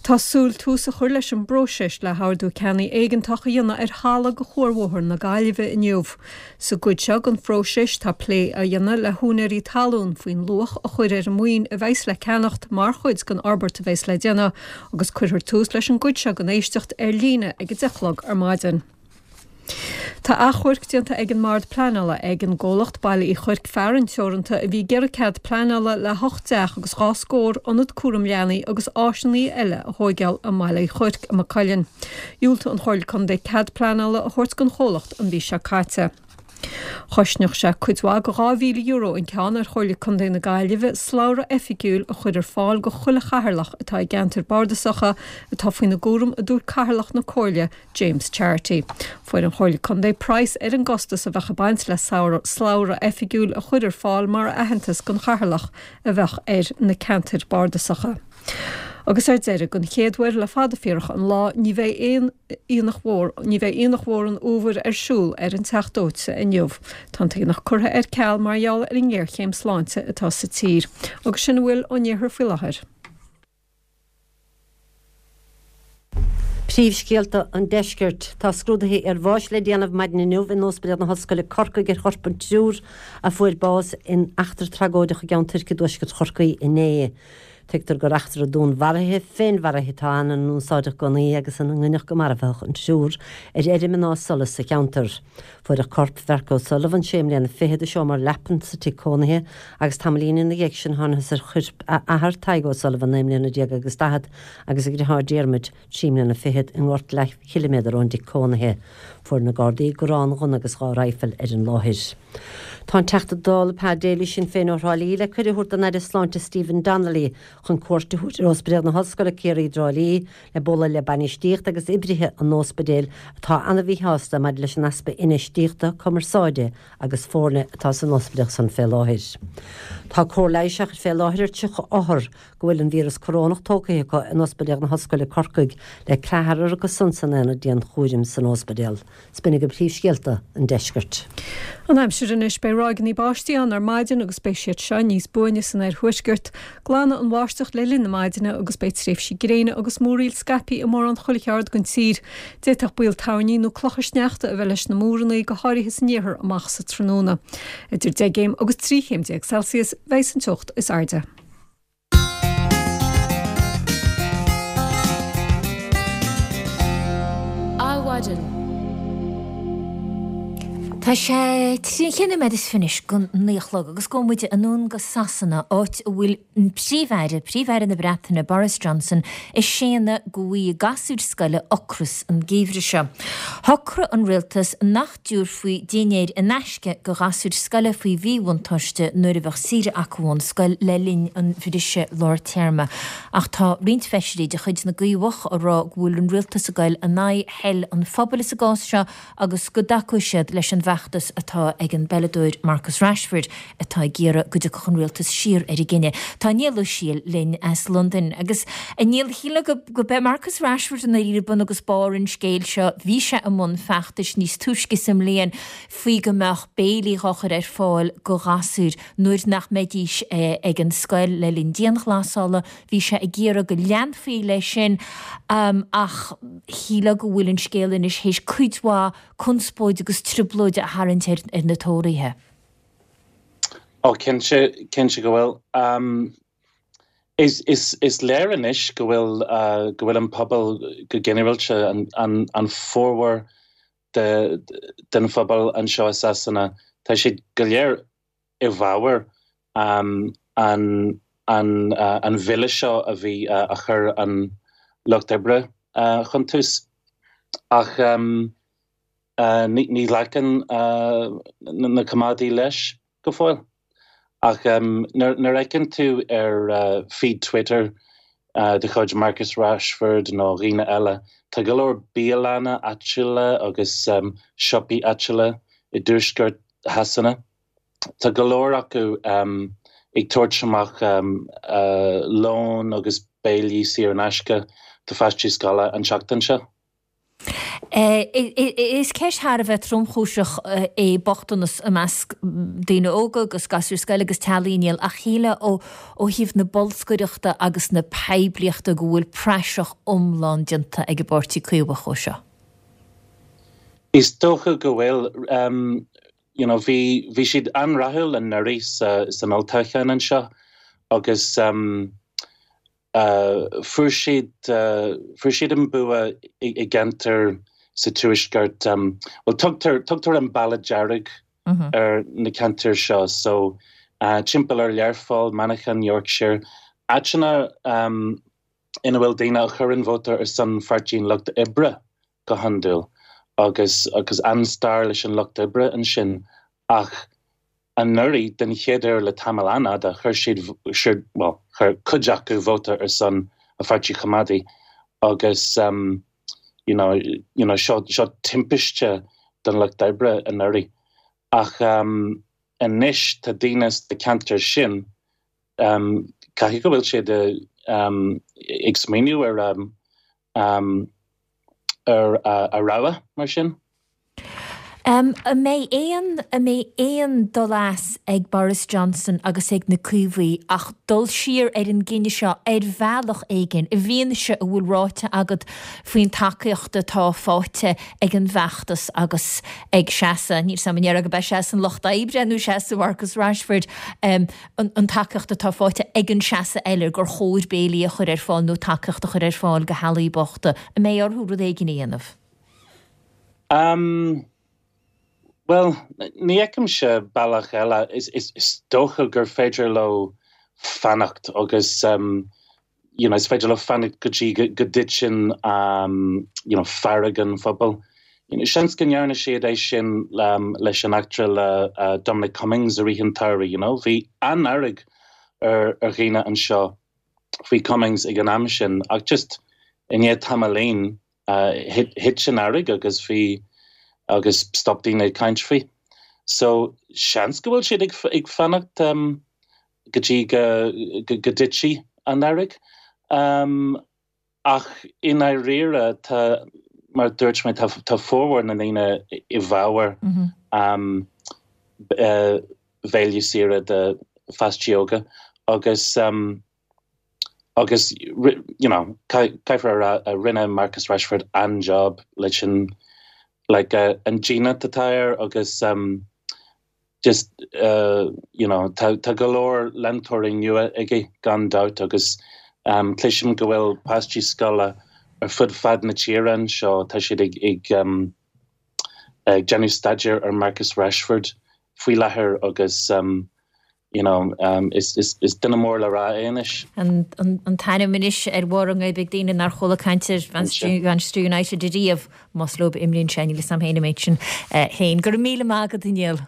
Tá súil tús a chur leis an bpróiseas le hordú ceannaigh éigeantach a dhéanamh ar thalamh go Chuarbhóthar na Gaillimhe inniu. Sa gcuid seo den phróiseas tá plé á dhéanamh le húinéirí talún faoin luach a chur ar an maoin a bheas le ceannacht mar chuid den fhorbairt a bheas le déanamh agus cuirfear tús leis an gcuid seo den éisteacht ar líne ag a deich a chlog ar maidin. Tá achomharc déanta ag an mBord Pleanála ag an gcomhlacht Baile Uí Chuirc Fearann Teoranta a bhí ag iarraidh cead pleanála le hocht dteach agus dhá scór ionad cúram leanaí agus áiseanna eile a thóigeáil i mBaile Uí Chuirc i Maigh Cuilinn. Dhiúltaigh an Chomhairle Contae cead pleanála a thabhairt don chomhlacht an mhí seo caite. Chosnódh sé cuid mhaith de dhá mhíle euro an ceann ar Chomhairle Contae na Gaillimhe slabhra oifigiúil a chur ar fáil go chuile chathaoirleach atá i gceantair bardasacha atá faoina gcúram a dúirt Cathaoirleach na Comhairle James Charity. Fuair an Chomhairle Contae praghas ar an gcostas a bheadh ag baint le slabhra oifigiúil a chur ar fáil mar aitheantas don chathaoirleach a bheadh ar na ceantair bardasacha. Agus ar deireadh, den chéad uair le fada fíorach an lá, ní bheidh aon aonach mhór, ní bheidh Aonach Mhór an Fhómhair ar siúl ar an Teach Dóite inniu. Tá an t-aonach curtha ar ceal mar gheall ar an ngéarchéim sláinte atá sa tír. Agus sin a bhfuil ón iarthar faoi láthair. Príomhscéalta an Deiscirt. Tá scrúduithe iarbháis le déanamh maidin inniu in Ospidéal na hOllscoile Corcaigh ar chorp an triúr a fuair bás in eachtra tragóideach i gCeann Toirc i dtuaisceart Chorcaí inné. Tuigtear gur eachtra dúnmharaithe, féinmharaithe atá ann ina n-úsáideadh gunnaí agus ina ngoineadh go marbhadh an triúr ar fheirm in Áth Solais sa cheantar. Fuaireadh corp Mhark O'Sullivan, sé mbliana fichead, i seomra leapan sa tigh cónaithe agus tamaillín ina dhiaidh sin thángthas ar choirp a athar, Tadhg O'Sullivan, naoi mbliana déag agus daichead, agus a dheartháir Diarmuid, trí mbliana fichead, i ngort leathchiliméadar ón dtigh cónaithe. Fuair na Gardaí gránghunna agus dhá raidhfil ar an láthair. Tá an Teachta Dála Pa Daly, Sinn Féin ó Thrá Lí, le cuireadh a thabhairt don Aire Sláinte Stephen Donnelly chun cuairt a thabhairt ar Ospidéal na hOllscoile Ciarraí i dTrá Lí le bualadh le bainistíocht agus oibrithe an ospidéil atá an-mhíshásta maidir leis an easpa infheistíochta, cumarsáide agus foirne atá san ospidéal san fé láthair. Tá cóir leighis á cur fé láthair ar tríocha othar go bhfuil an víreas corónach tógtha acu in Ospidéal na hOllscoile Corcaigh le ceathrar acu san san aonad dianchúraim san ospidéal. 'S b'in agaibh príomhscéalta an deiscirt. An aimsir anois, beidh ráigeanna báistí ann ar maidin agus beidh siad seo níos buaine san oirthuaisceart. Glanfaidh an bháisteach le linn na maidine agus beidh tréimhsí gréine agus múraíl scaipthe i mórán chuile cheard den tír. D'fhéadfadh baol toirní nó clocha sneachta a bheith leis na múranna, go háirithe san iarthar amach sa tráthnóna. Idir deich gcéim agus trí chéim déag Celsius bheidh an teocht is airde. Adhmhaidin. Tá sé trí nóiméad is fiche go naoi a chlog agus gabhfaidh muid anonn go Sasana, áit a bhfuil an Príomh-Aire, Príomh-Aire na Breataine, Boris Johnson, ag séanadh go bhfaighidh gasúir scoile ocras an geimhreadh seo. Shocraigh an rialtas nach dtabharfaí dinnéir in aisce go ghasúir scoile faoi mhíbhuntáiste nuair a bheadh saoire acu ón scoil le linn an bhriseadh lár téarma. Ach tá roinnt feisirí de chuid na gCaomhach ag rá go bhfuil an rialtas ag goil in aghaidh thoil an phobail sa gcás seo agus go dtacóidh siad leis an bhfeachtas atá ag an bpeileadóir Marcus Rashford atá ag iarraidh go dtiocfadh an rialtas siar ar a gcinneadh. Tá Niall Ó Siail linn as Londain agus a Niall shílfeá go go b'é Marcus Rashford i ndáiríre bun agus barr an scéil seo. Bhí sé i mbun feachtais níos túisce sa mbliain faoi go mbeadh béilí á chur ar fáil go ghasúir nuair nach mbeidís ag an scoil le linn dianghlasála. Bhí sé ag iarraidh go leanfaí leis sin ach shílfeá go bhfuil an scéal anois théis cuid mhaith conspóid agus trioblóid a tharraingt ar ar na Tóraithe. Ó cinnte, cinnte go bhfuil. Um, is, is, is léir anois go bhfuil uh, go bhfuil an pobal go ginearálta an, an, an formhór de, den phobal anseo i Sasana, tá siad go léir i bhfabhar um, an, an, uh, an bhille seo a bhí uh, a chur an lucht oibre uh, chun tús. Ach um, uh, ní, ní ghlacann uh, na Coimeádaigh leis go fóill. Ach um, nuair nuair a fheiceann tú ar uh, feed Twitter uh, de chuid Marcus Rashford nó dhaoine eile, tá go leor bialanna áitiúla agus um, siopaí áitiúla i dtuaisceart Shasana. Tá go leor acu um, ag tabhairt amach um, uh, lón agus béilí saor in aisce do pháistí scoile an tseachtain seo. Is ceist thar a bheith tromchúiseach é bochtanas i measc daoine óga agus gasúir scoile agus teaghlaigh Niall ach shílfeá ó ó thaobh na bolscaireachta agus na poiblíochta go bhfuil praiseach iomlán déanta ag an bPáirtí Caomhach ó seo. Is dócha go bhfuil um, you know, bhí bhí siad an-rathúil anuraidh sa, san olltoghchán anseo agus um, uh, fuair siad uh, fuair siad an bua i, i gceantar sa tuaisceart um, well tugtar tugtar an Baile Dearg mm -hmm. ar na ceantair seo so uh, timpeall ar Learpholl, Manchain, Yorkshire, áiteanna um, ina bhfuil daoine a chuireann vóta ar son Pháirtí an Lucht Oibre go hiondúil agus agus an-stair leis an lucht oibre ansin ach anuraidh den chéad uair le tamall an-fhada chuir siad siad well chuir cuid acu vóta ar son an Pháirtí Choimeádaigh agus um, you know, you know, seo seo timpiste don lucht oibre anuraidh ach um, anois tá daoine sna ceantair sin um, caithfidh go bhfuil siad um, ag smaoineamh ar um, um, ar uh, a rogha mar sin. An mbeidh aon, an mbeidh aon dul as ag Boris Johnson agus ag na Caomhaigh ach dul siar ar an gcinneadh seo ar bhealach éigin, i bhfianaise a bhfuil ráite agat faoin tacaíocht atá faighte ag an bhfeachtas agus ag seasamh, níl 's agam an ndéarfá gurb é seasamh an Lucht Oibre nó seasamh Marcus Rashford, an tacaíocht atá faighte ag an seasamh eile gur chóir béilí a chur ar fáil nó tacaíocht a chur ar fáil do theaghlaigh bochta. An mbeidh orthu rud éigin a dhéanamh? Um, Bhuel, ní fheicimse bealach eile. Is, is, is dócha gur féidir leo fanacht agus um, you know, is féidir leo fanacht go dtí go, go dtiteann um, you know, fearg an phobail. You know, seans go ndearna siad é sin um, leis an eachtra le uh, Dominic Cummings i rith an tsamhraidh, you know. Bhí an-fhearg ar, ar dhaoine anseo faoi Cummings ag an am sin ach just i ndiaidh tamaillín thit an fhearg agus bhí agus stop daoine ag caint faoi. So seans go bhfuil siad ag, ag fanacht um, go dtí go, go, go dtitfidh an fhearg. Um, ach i ndáiríre tá mar dúirt mé tá, tá formhór na ndaoine i bhfabhar mm -hmm. um, uh, béile saor do pháistí óga agus um, agus you know caithfear a rá rinne Marcus Rashford an-job leis an like uh, an dínit atá air agus um, just uh, you know tá, tá go leor leantóirí nua aige gan dabht agus um, cloisim go bhfuil páistí scoile ar fud fad na tíre anseo tá siad ag, ag, um, ag déanamh staidéar ar Marcus Rashford faoi láthair agus um, you know, um, is, is, is duine mór le rá é anois. An, an, an t-ainm anois ar bharr a ngoib ag daoine nár chuala caint ar Manchester United ariamh más leo a imríonn sé níl 'fhios a'm féin an méid sin féin. Go raibh míle maith agat a Niall.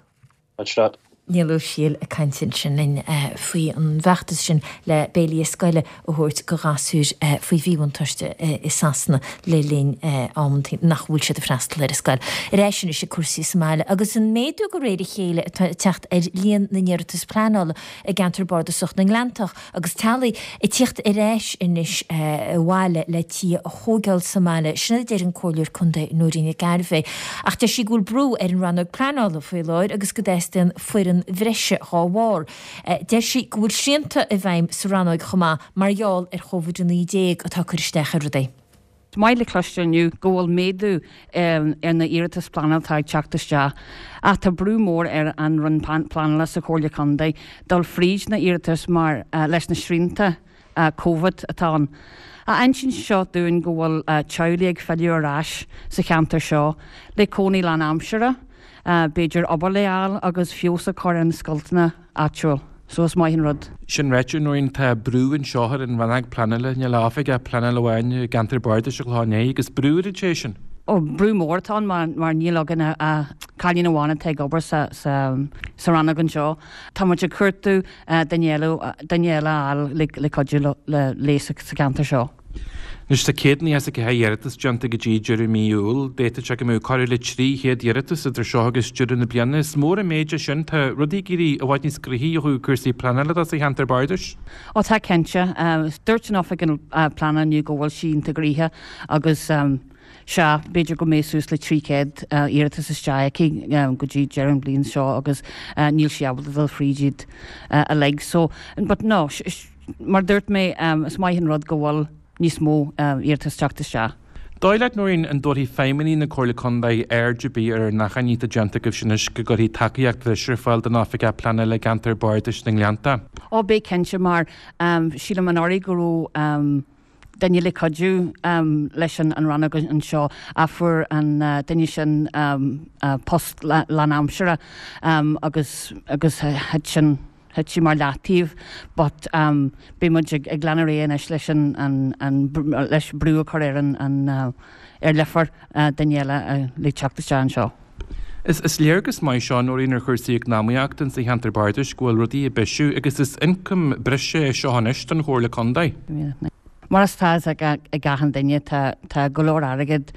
Much that. Niall Ó Siail ag caint ansin linn faoi an bhfeachtas sin le béilí scoile a thabhairt go ghasúir faoi mhíbhuntáiste i Sasana le linn am nach bhfuil siad ag freastal ar an scoil. Ar ais anois ag cúrsaí sa mbaile agus an méadú de réir a chéile atá ag teacht ar líon na n-iarratas pleanála i gceantar bardasach na nGleanntach agus teaghlaigh ag tíocht ar ais anois abhaile le tithe a thógáil sa mbaile. Sin a deir an Comhairleoir Contae Nóirín Nic Gairbheith. Ach deir sí go bhfuil brú ar an rannóg pleanála faoi láthair agus go dteastaíonn foireann bhreise dhá bharr. Deir sí go bhfuil srianta i bhfeidhm sa rannóg chomh maith mar gheall ar Covid a naoi déag atá ag cur isteach ar rudaí. Is maith le cloisteáil inniu go bhfuil méadú ar na iarratais pleanála atá ag teacht isteach ach tá brú mór ar an Roinn Pleanála sa Chomhairle Contae dul fríd na iarratais mar leis na srianta Covid atá ann. Ach insíonn seo dúinn go bhfuil teaghlaigh ag filleadh ar ais sa cheantar seo le cónaí lánaimseartha, b'fhéidir obair le fháil agus feabhas a chur ar na scoilteanna áitiúil. So is maith an rud. Sin ráite, Nóirín, tá brú anseo ar an rannóg pleanála, níl ach oifigeach pleanála amháin i gceantar bardais an Chlocháin Léith agus brú ar an té sin. Ó, brú mór atá ann mar, mar níl againn ach cailín amháin atá ag obair sa, sa, sa rannóg anseo. Tá muid ag cuartú duine eile, duine eile a fháil le, le cuidiú le, léi sa, sa cheantar seo. Anois tá céad nócha is a ceathair iarratas déanta go dtí deireadh mí Iúil. D'fhéadfadh sé go mbeadh corradh le trí chéad iarratas idir seo agus deireadh na bliana. Is mór an méid é sin. Tá rudaí ag éirí i bhfad níos gnoithí ó thaobh cúrsaí pleanála de sa cheantar bardais. Ó tá cinnte. Dúirt an Oifig Pleanála inniu go bhfuil sí iontach gnoitheach agus sea, b'fhéidir go mbeidh suas le trí chéad iarratas isteach aici go dtí deireadh an bhliain seo agus níl sí ábalta dul fríd iad uilig. So, but no, mar a dúirt mé, is maith an rud go bhfuil níos mó iarratas teacht isteach. Dóigh leat, Nóirín, an dtabharfaidh feidhmeannaigh na Comhairle Contae aird ar bith ar an achainí atá déanta agaibhse anois go gcuirfí tacaíocht bhreise ar fáil don Oifigeach Pleanála i gceantar Bardais na nGleannta? Ó, beidh cinnte, mar sílim anuraidh go raibh duine le cuidiú leis an rannóg anseo ach fuair an duine sin post lánaimseartha agus agus thit sin Thit sí mar leataobh but beidh muid ag ag leanadh ar aghaidh anois leis an an an leis brú a chur ar an an ar Leifear duine eile le teacht isteach anseo. Is is léargas maith seo, Nóirín, ar chúrsaí eacnamaíochta insa cheantar bardais go bhfuil rudaí ag bisiú agus is ioncam breise é seo anois don Chomhairle Contae. Mar is tá a fhios ag achan duine tá tá go leor airgead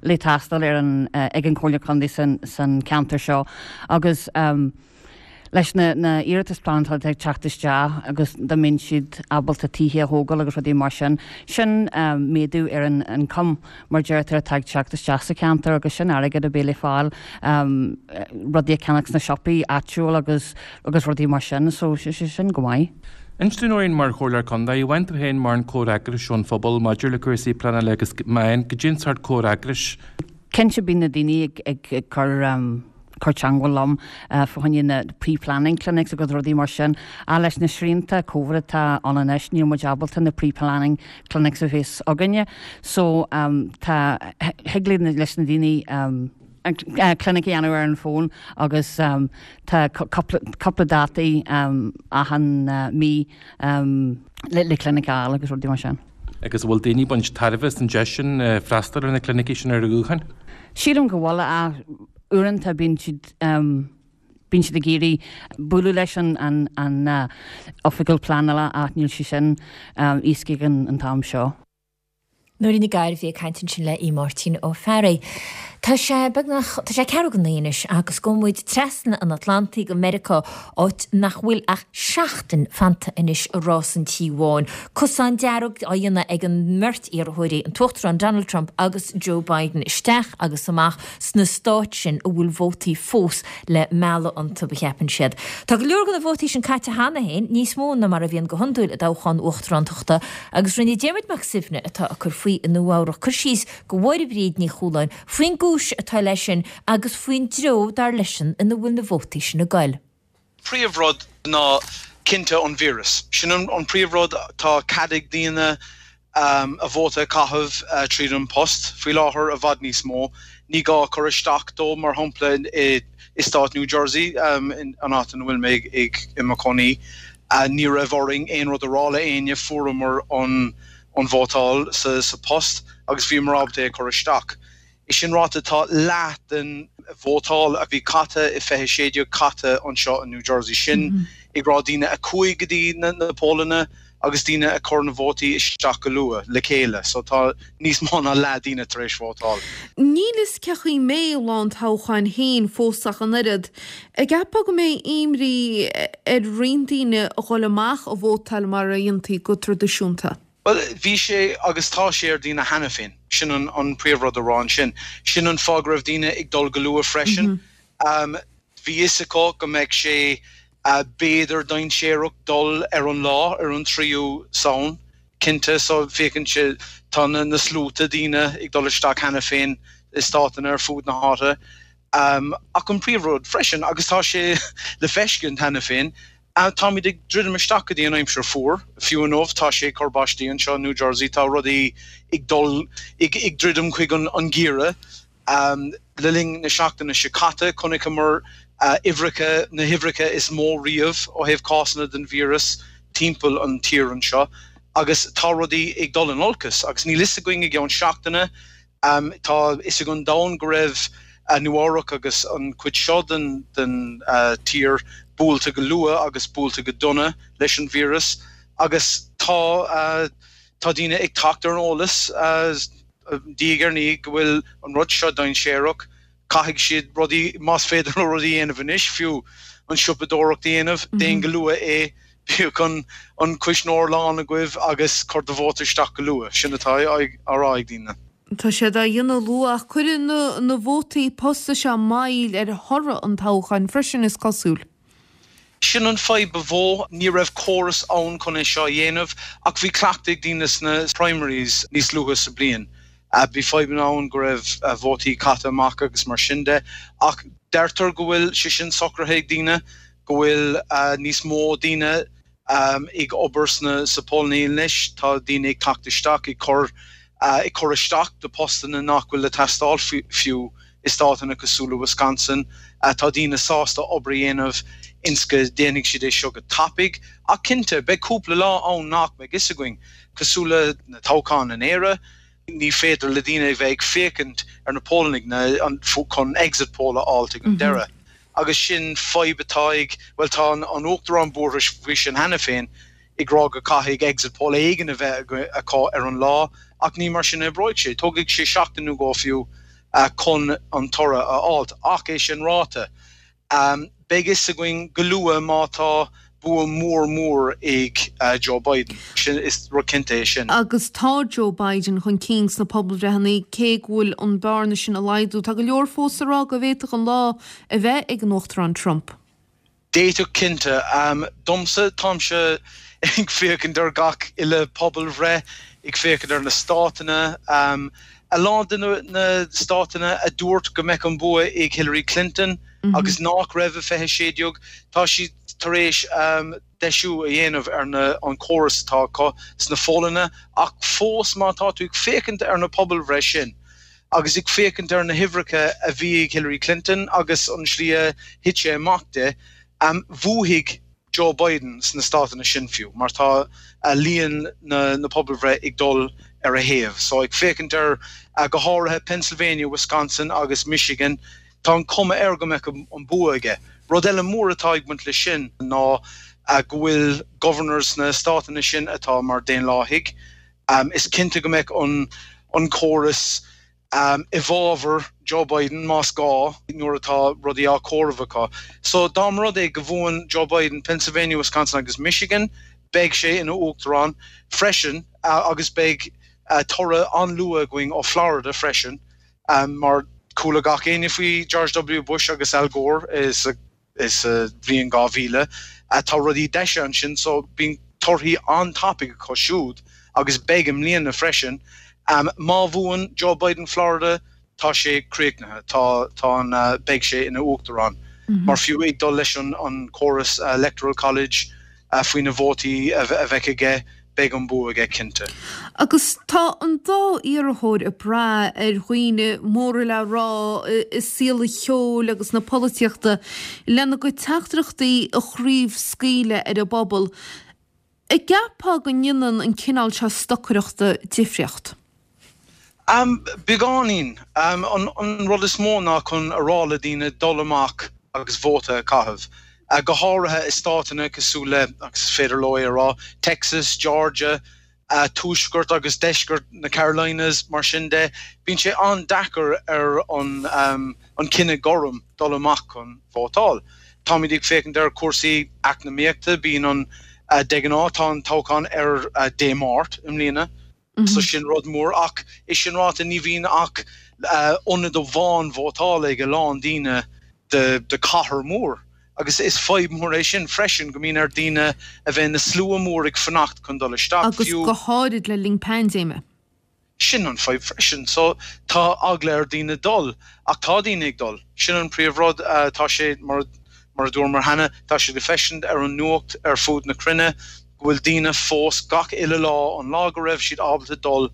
le teastáil ar an ag an Chomhairle Contae san san ceantar seo agus Leis na na iarratais pleanála atá ag teacht isteach agus dá mbeinn siad ábalta tithe a thógáil agus rudaí mar sin, sin méadú ar an ioncam mar deirtear atá ag teacht isteach sa cheantar agus sin airgead a bheidh le fáil rudaí a cheannach sna siopaí áitiúil agus agus rudaí mar sin so sin go maith. Inis dúinn Nóirín mar Chomhairleoir Contae, an bhfaigheann tú féin mórán comhfhreagrais ón phobal maidir le cúrsaí pleanála agus má fhaigheann, goidé an sórt comhfhreagrais. Cinnte bíonn na daoine ag ag cur cur teangmháil liom fá choinne na pre-planning clinics agus rudaí mar sin. Ach leis na srianta Covid atá ann anois níl muid ábalta na pre-planning clinics a bheith againne. So tá, thig leis na daoine clinic a dhéanamh ar an bhfón agus tá cúpla dátaí achan mí le clinic a fháil agus rudaí mar sin. Agus an bhfuil daoine ag baint tairbhe as an deis sin freastal ar na clinicí sin ar an ghuthán? Sílim go bhfuil ach uaireanta bíonn siad bíonn siad ag iarraidh bualadh leis an an an oifigeach pleanála ach níl sé sin éasca ag an t-am seo. Nóirín Nic Gairbhí ag caint ansin le Aodh Máirtín Ó Fearraigh. Tá sé beagnach, tá sé ceathrú go naoi anois agus gabhfaidh muid trasna an Atlantaigh go Meiriceá, áit nach bhfuil ach seachtain fanta anois i rás an Tí Bháin. Cosán dearg á dhéanamh ag an mbeirt iarrthóirí, an tUachtarán Donald Trump agus Joe Biden, isteach agus amach sna stáit sin a bhfuil vótaí fós le mealladh iontu, a cheapann siad. Tá go leor de na vótaí sin caite cheana féin, níos mó ná mar a bhíonn go hiondúil i dtoghchán uachtarántachta, agus rinne Diarmuid Mac Suibhne, atá ag cur faoi i Nua-Eabhrac, cur síos do Mháire Bríd Ní Chualáin faoin gcúis atá leis sin agus faoin dtreo, dar leisean, ina bhfuil na vótaí sin ag goil. Príomhrud ná cinnte an víreas. Sin an príomhrud. Tá cead ag daoine a vóta a chaitheamh tríd an post faoi láthair i bhfad níos mó. Ní gá cur isteach dó, mar shampla i stát New Jersey, an áit ina bhfuil mé i mo chónaí. Ní raibh orainn aon rud a rá le éinne, fuaireamar an an vótáil sa post agus bhíomar ábalta é a chur isteach. É sin ráite, tá leath den vótáil a bhí caite i fiche sé déag caite anseo i New Jersey. Sin ag rá daoine a chuaigh go dtí na pólanna agus daoine a chuir na vótaí isteach go luath le chéile. So tá níos mó ná leath daoine tar éis vótáil. Níl fhios cé chaoi mbeidh lá an toghcháin féin fós ach an oiread. An gceapfá go mbeidh imní ar roinnt daoine a dhul amach a vótáil mar a dhéantaí go traidisiúnta? Bhuel, bhí sé agus tá sé ar daoine cheana féin. Sin an an príomhrud a rá ansin. Sin an fáth go raibh daoine ag dul go luath freisin. Bhí fhios acu go mbeadh sé b'fhéidir dainséarach dul ar an lá, ar an tríú Samhain, cinnte. So féachann sé, tá na na sluaite daoine ag dul isteach cheana féin i státanna ar fud na háite. Ach an príomhrud freisin, agus tá sé le feiscint cheana féin, Táimid ag druidim isteach go dtí an aimsir fuar, fiú inniu tá sé ag cur báistí anseo i New Jersey, tá rudaí ag dul ag druidim chuig an gheimhreadh. Le linn na seachtaine seo caite chonaiceamar uimhreacha, na huimhreacha is mó riamh ó thaobh cásanna den víreas timpeall an tír anseo agus tá rudaí ag dul in olcas agus níl fhios againn i gceann seachtaine Tá fhios ag an domhan go raibh Nua-Eabhrac agus an chuid seo den tír buailte go luath agus buailte go dona leis an víreas agus tá tá daoine ag teacht ar an eolas diaidh ar ndiaidh go bhfuil an rud seo dainséarach. Caithfidh siad rudaí, más féidir leo rudaí a dhéanamh anois, fiú an siopadóireacht a dhéanamh, déan go luath é, bíodh an an cuisneoir lán agaibh agus cuir do vóta isteach go luath. Sin atá á rá ag daoine. Tá siad á dhéanamh luath ach cuireann na na vótaí posta seo moill ar thoradh an toghcháin freisin, is cosúil. Sin an fadhb ba mhó. Ní raibh córas ann chun é seo a dhéanamh ach bhí cleachtadh ag daoine sna primaries níos luaithe sa bliain. Bhí fadhbanna ann go raibh vótaí caite amach agus mar sin de ach deirtear go bhfuil sé sin socraithe ag daoine, go bhfuil níos mó daoine ag obair sna sa póilíní anois, tá daoine ag teacht isteach ag cur ag cur isteach do postanna nach bhfuil le teastáil fiú i státanna cosúil le Wisconsin. Tá daoine sásta obair a dhéanamh ins go déanfaidh siad é seo go tapaidh. Ach cinnte, beidh cúpla lá ann nach mbeidh fhios againn, cosúil le na toghcháin in Éire, ní féidir le daoine a bheith ag féachaint ar na pólanna chun exit poll a fháilt ag an deireadh. Agus sin fadhb atá ag, bhuel tá an Uachtarán buartha faoi sin cheana féin, ag rá go caithfidh exit poll éigin a bheith acu ar an lá, ach ní mar sin a oibreoidh sé. Tógfaidh sé seachtain nó dhó fiú chun an toradh a fháilt. Ach é sin ráite, Beidh fhios againn go luath má tá bua mór mór ag Joe Biden. Sin, is rud cinnte é sin. Agus tá Joe Biden chun cinn sna pobalbhreitheanna, cé go bhfuil an bearna sin ag laghdú. Tá go leor fós ag rá go bhféadfadh an lá a bheith ag an Uachtarán Trump. D'fhéadfadh, cinnte. Domsa, táimse ag féachaint ar gach uile pobalbhreith, ag féachaint ar na státanna. A lán de na státanna a dúirt go mbeadh an bua ag Hillary Clinton agus nach raibh i fiche sé déag, tá siad tar éis deisiú a dhéanamh ar an córas atá acu sna póllanna ach fós má tá tú ag féachaint ar na pobalbhreith sin agus ag féachaint ar na huimhreacha a bhí ag Hillary Clinton agus an slí a thit sé amach di, bhuafaidh Joe Biden sna státanna sin fiú mar tá líon na pobalbhreith ag dul ar a thaobh. So ag féachaint ar go háirithe Pennsylvania, Wisconsin agus Michigan, tá an cuma air go mbeadh an bua aige. Rud eile mór atá ag baint leis sin ná go bhfuil governors sna státanna sin atá mar Daonlathaigh. Is cinnte go mbeadh an córas i bhfabhar Joe Biden más gá nuair atá rudaí á comhaireamh acu. So dá mba rud é go bhuann Joe Biden Pennsylvania, Wisconsin agus Michigan, beidh sé ina uachtarán freisin agus beidh toradh an-luath againn ó Florida freisin mar chuala gach éinne faoi George W Bush agus Al Gore sa bhliain dhá mhíle. Tá rudaí deisithe ansin so bíonn torthaí an-tapaidh acu siúd agus beidh i mbliana freisin. Má bhuann Joe Biden Florida, tá sé críochnaithe, tá tá an beidh sé ina uachtarán. Mar fiú ag dul leis an an córas Electoral College faoi na vótaí a bheidh aige, beidh an bua aige cinnte. Agus tá an dá iarrthóir ag brath ar dhaoine móra le rá i saol an cheoil agus na polaitíochta lena gcuid teachtaireachtaí a chraobhscaoileadh ar an bpobal. An gceapfá go ndéanann an cineál seo stocaireachta difríocht? Beagáinín. An rud is mó ná chun a rá le daoine dul amach agus vóta a chaitheamh, go háirithe i státanna cosúil le, agus is féidir leo é a rá, Texas, Georgia, tuaisceart agus deisceart na Carolinas, mar sin de. Bíonn sé an-deacair ar an cine gorm dul amach chun vótáil. Táimid ag féachaint ar chúrsaí eacnamaíochta, bíonn an, de ghnáth, tá an toghchán ar Dé Máirt i mbliana, so sin rud mór, ach é sin ráite ní bhíonn ach ionad amháin vótála ag a lán daoine de de cathair mór agus is fadhb mór é sin freisin go mbíonn ar daoine a bheith ina slua mór ag fanacht chun dul isteach, Agus fiú. go háirid le linn paindéime. Sin an fadhb freisin. So tá eagla ar daoine dul, ach tá daoine ag dul. Sin an príomh rud. Tá sé, mar mar a dúramar cheana, tá sé le feiscint ar an nuacht ar fud na cruinne go bhfuil daoine fós gach uile lá, an lá go raibh siad ábalta dul,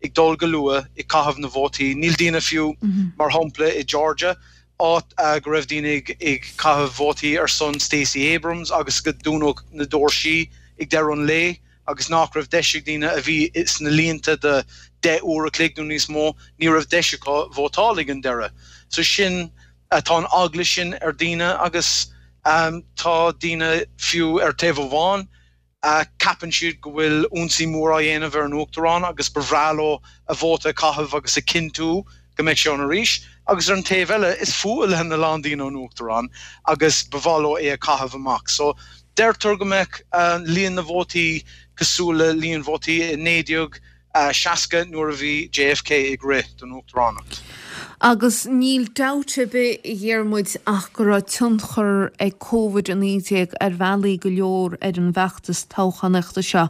ag dul go luath, ag caitheamh na vótaí. Níl daoine fiú, mar shampla i Georgia, áit go raibh daoine ag ag caitheamh vótaí ar son Stacey Abrams agus go dúnadh na doirsí ag deireadh an lae agus nach raibh deis ag daoine a bhí sna línte de deich uair a chloig nó níos mó, ní raibh deis acu vótáil ag an deireadh. So sin, tá an eagla sin ar daoine agus tá daoine fiú ar taobh amháin, Ceapann siad go bhfuil ionsaí mór á dhéanamh ar an Uachtarán agus ba bhreá leo a vóta a chaitheamh agus a chinntiú go mbeidh sé ann arís. Agus ar an taobh eile, is fuath lena lán daoine an Uachtarán agus ba mhaith leo é a chaitheamh amach. So, deirtear go mbeadh líon na vótaí cosúil le líon vótaí i naoi déag seasca nuair a bhí JFK ag rith don uachtaránacht. Agus níl dabht ar bith, a Dhiarmuid, ach go raibh tionchar ag Covid a naoi déag ar bhealaí go leor ar an bhfeachtas toghchánaíochta seo.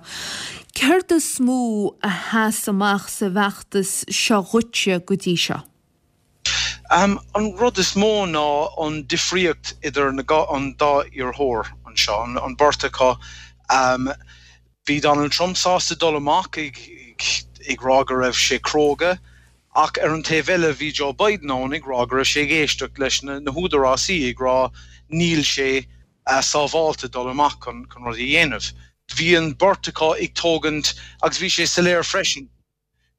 Céard is mó a sheas amach sa bhfeachtas seo dhuitse go dtí seo? An rud is mó ná an difríocht idir an dá iarrthóir anseo, an beirt acu. Bhí Donald Trump sásta dul amach ag rá go raibh sé cróga, ach ar an taobh eile bhí Joe Biden ann ag rá go raibh sé ag éisteacht leis na húdarásaí ag rá níl sé sábháilte dul amach chun rudaí a dhéanamh. Bhí an beirt acu ag tógaint agus bhí sé soiléir freisin.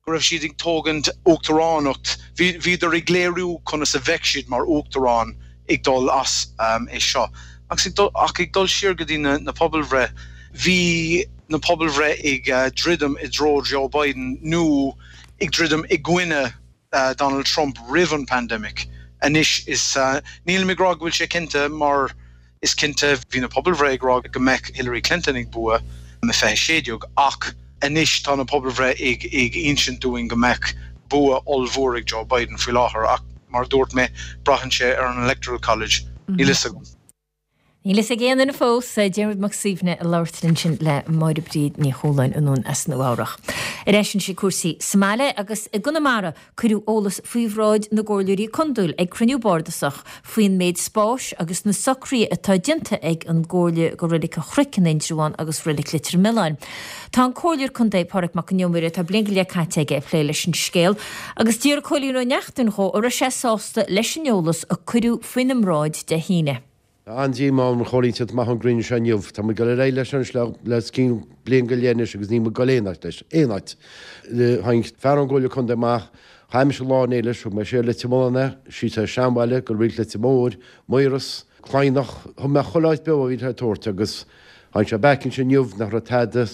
go raibh siad ag tógaint uachtaránacht, bhíodar ag léiriú conas a bheadh siad mar uachtarán ag dul as é seo. Agus ag dul, ach ag dul siar go dtí na pobalbhreith, bhí na pobalbhreith ag druidim i dtreo Joe Biden nó ag druidim i gcoinne Donald Trump roimh an pandemic. Anois is, nílim ag rá go bhfuil sé cinnte mar Is cinnte bhí na pobalbhreith ag rá go mbeadh Hillary Clinton ag bua i fiche sé déag ach anois tá na pobalbhreith ag ag insint dúinn go mbeadh bua ollmhór ag Joe Biden faoi láthair ach mar a dúirt mé braitheann sé ar an Electoral College. Níl fhios agam. Níl fhios ag aon duine fós, Diarmuid Mac Suibhne ag labhairt linn ansin le Máire Bríd Ní Chualáin anonn as Nua Eabhrach. Ar ais anois ag cúrsaí sa mbaile agus i gConamara cuireadh eolas faoi bhráid na gcomhairleoirí contae ag cruinniú bardasach faoin méid spáis agus na socruithe atá déanta ag an gComhairle do Reilig an Chnoic in Indreabhán agus Reilig Leitir Mealláin. Tá an Comhairleoir Contae Pádraig Mac an Iomaire tá bliain go leith caite aige ag plé leis an scéal agus d'iarr Cóilín Ó Neachtain dhó an raibh sé sásta leis an eolas a cuireadh faoina mbráid Dé hAoine. Tá an-díomá orm a Chóilín teacht amach ón gcruinniú seo inniu. Tá muid ag dul ar aghaidh leis anois le os cionn bliain go leith anois agus níl muid ag dul aon áit leis. Aon áit. Tháinig fear ón gComhairle Contae amach, chaith mise lá inné leis, thug mé siar Leitir Mealláin é, síos ar Seanbhaile, go Reilig Leitir Móir, Maoras, Cladhnach, thug mé chuile áit beo a bhí le tabhairt agus Tháinig sé back ansin inniu nach raibh tada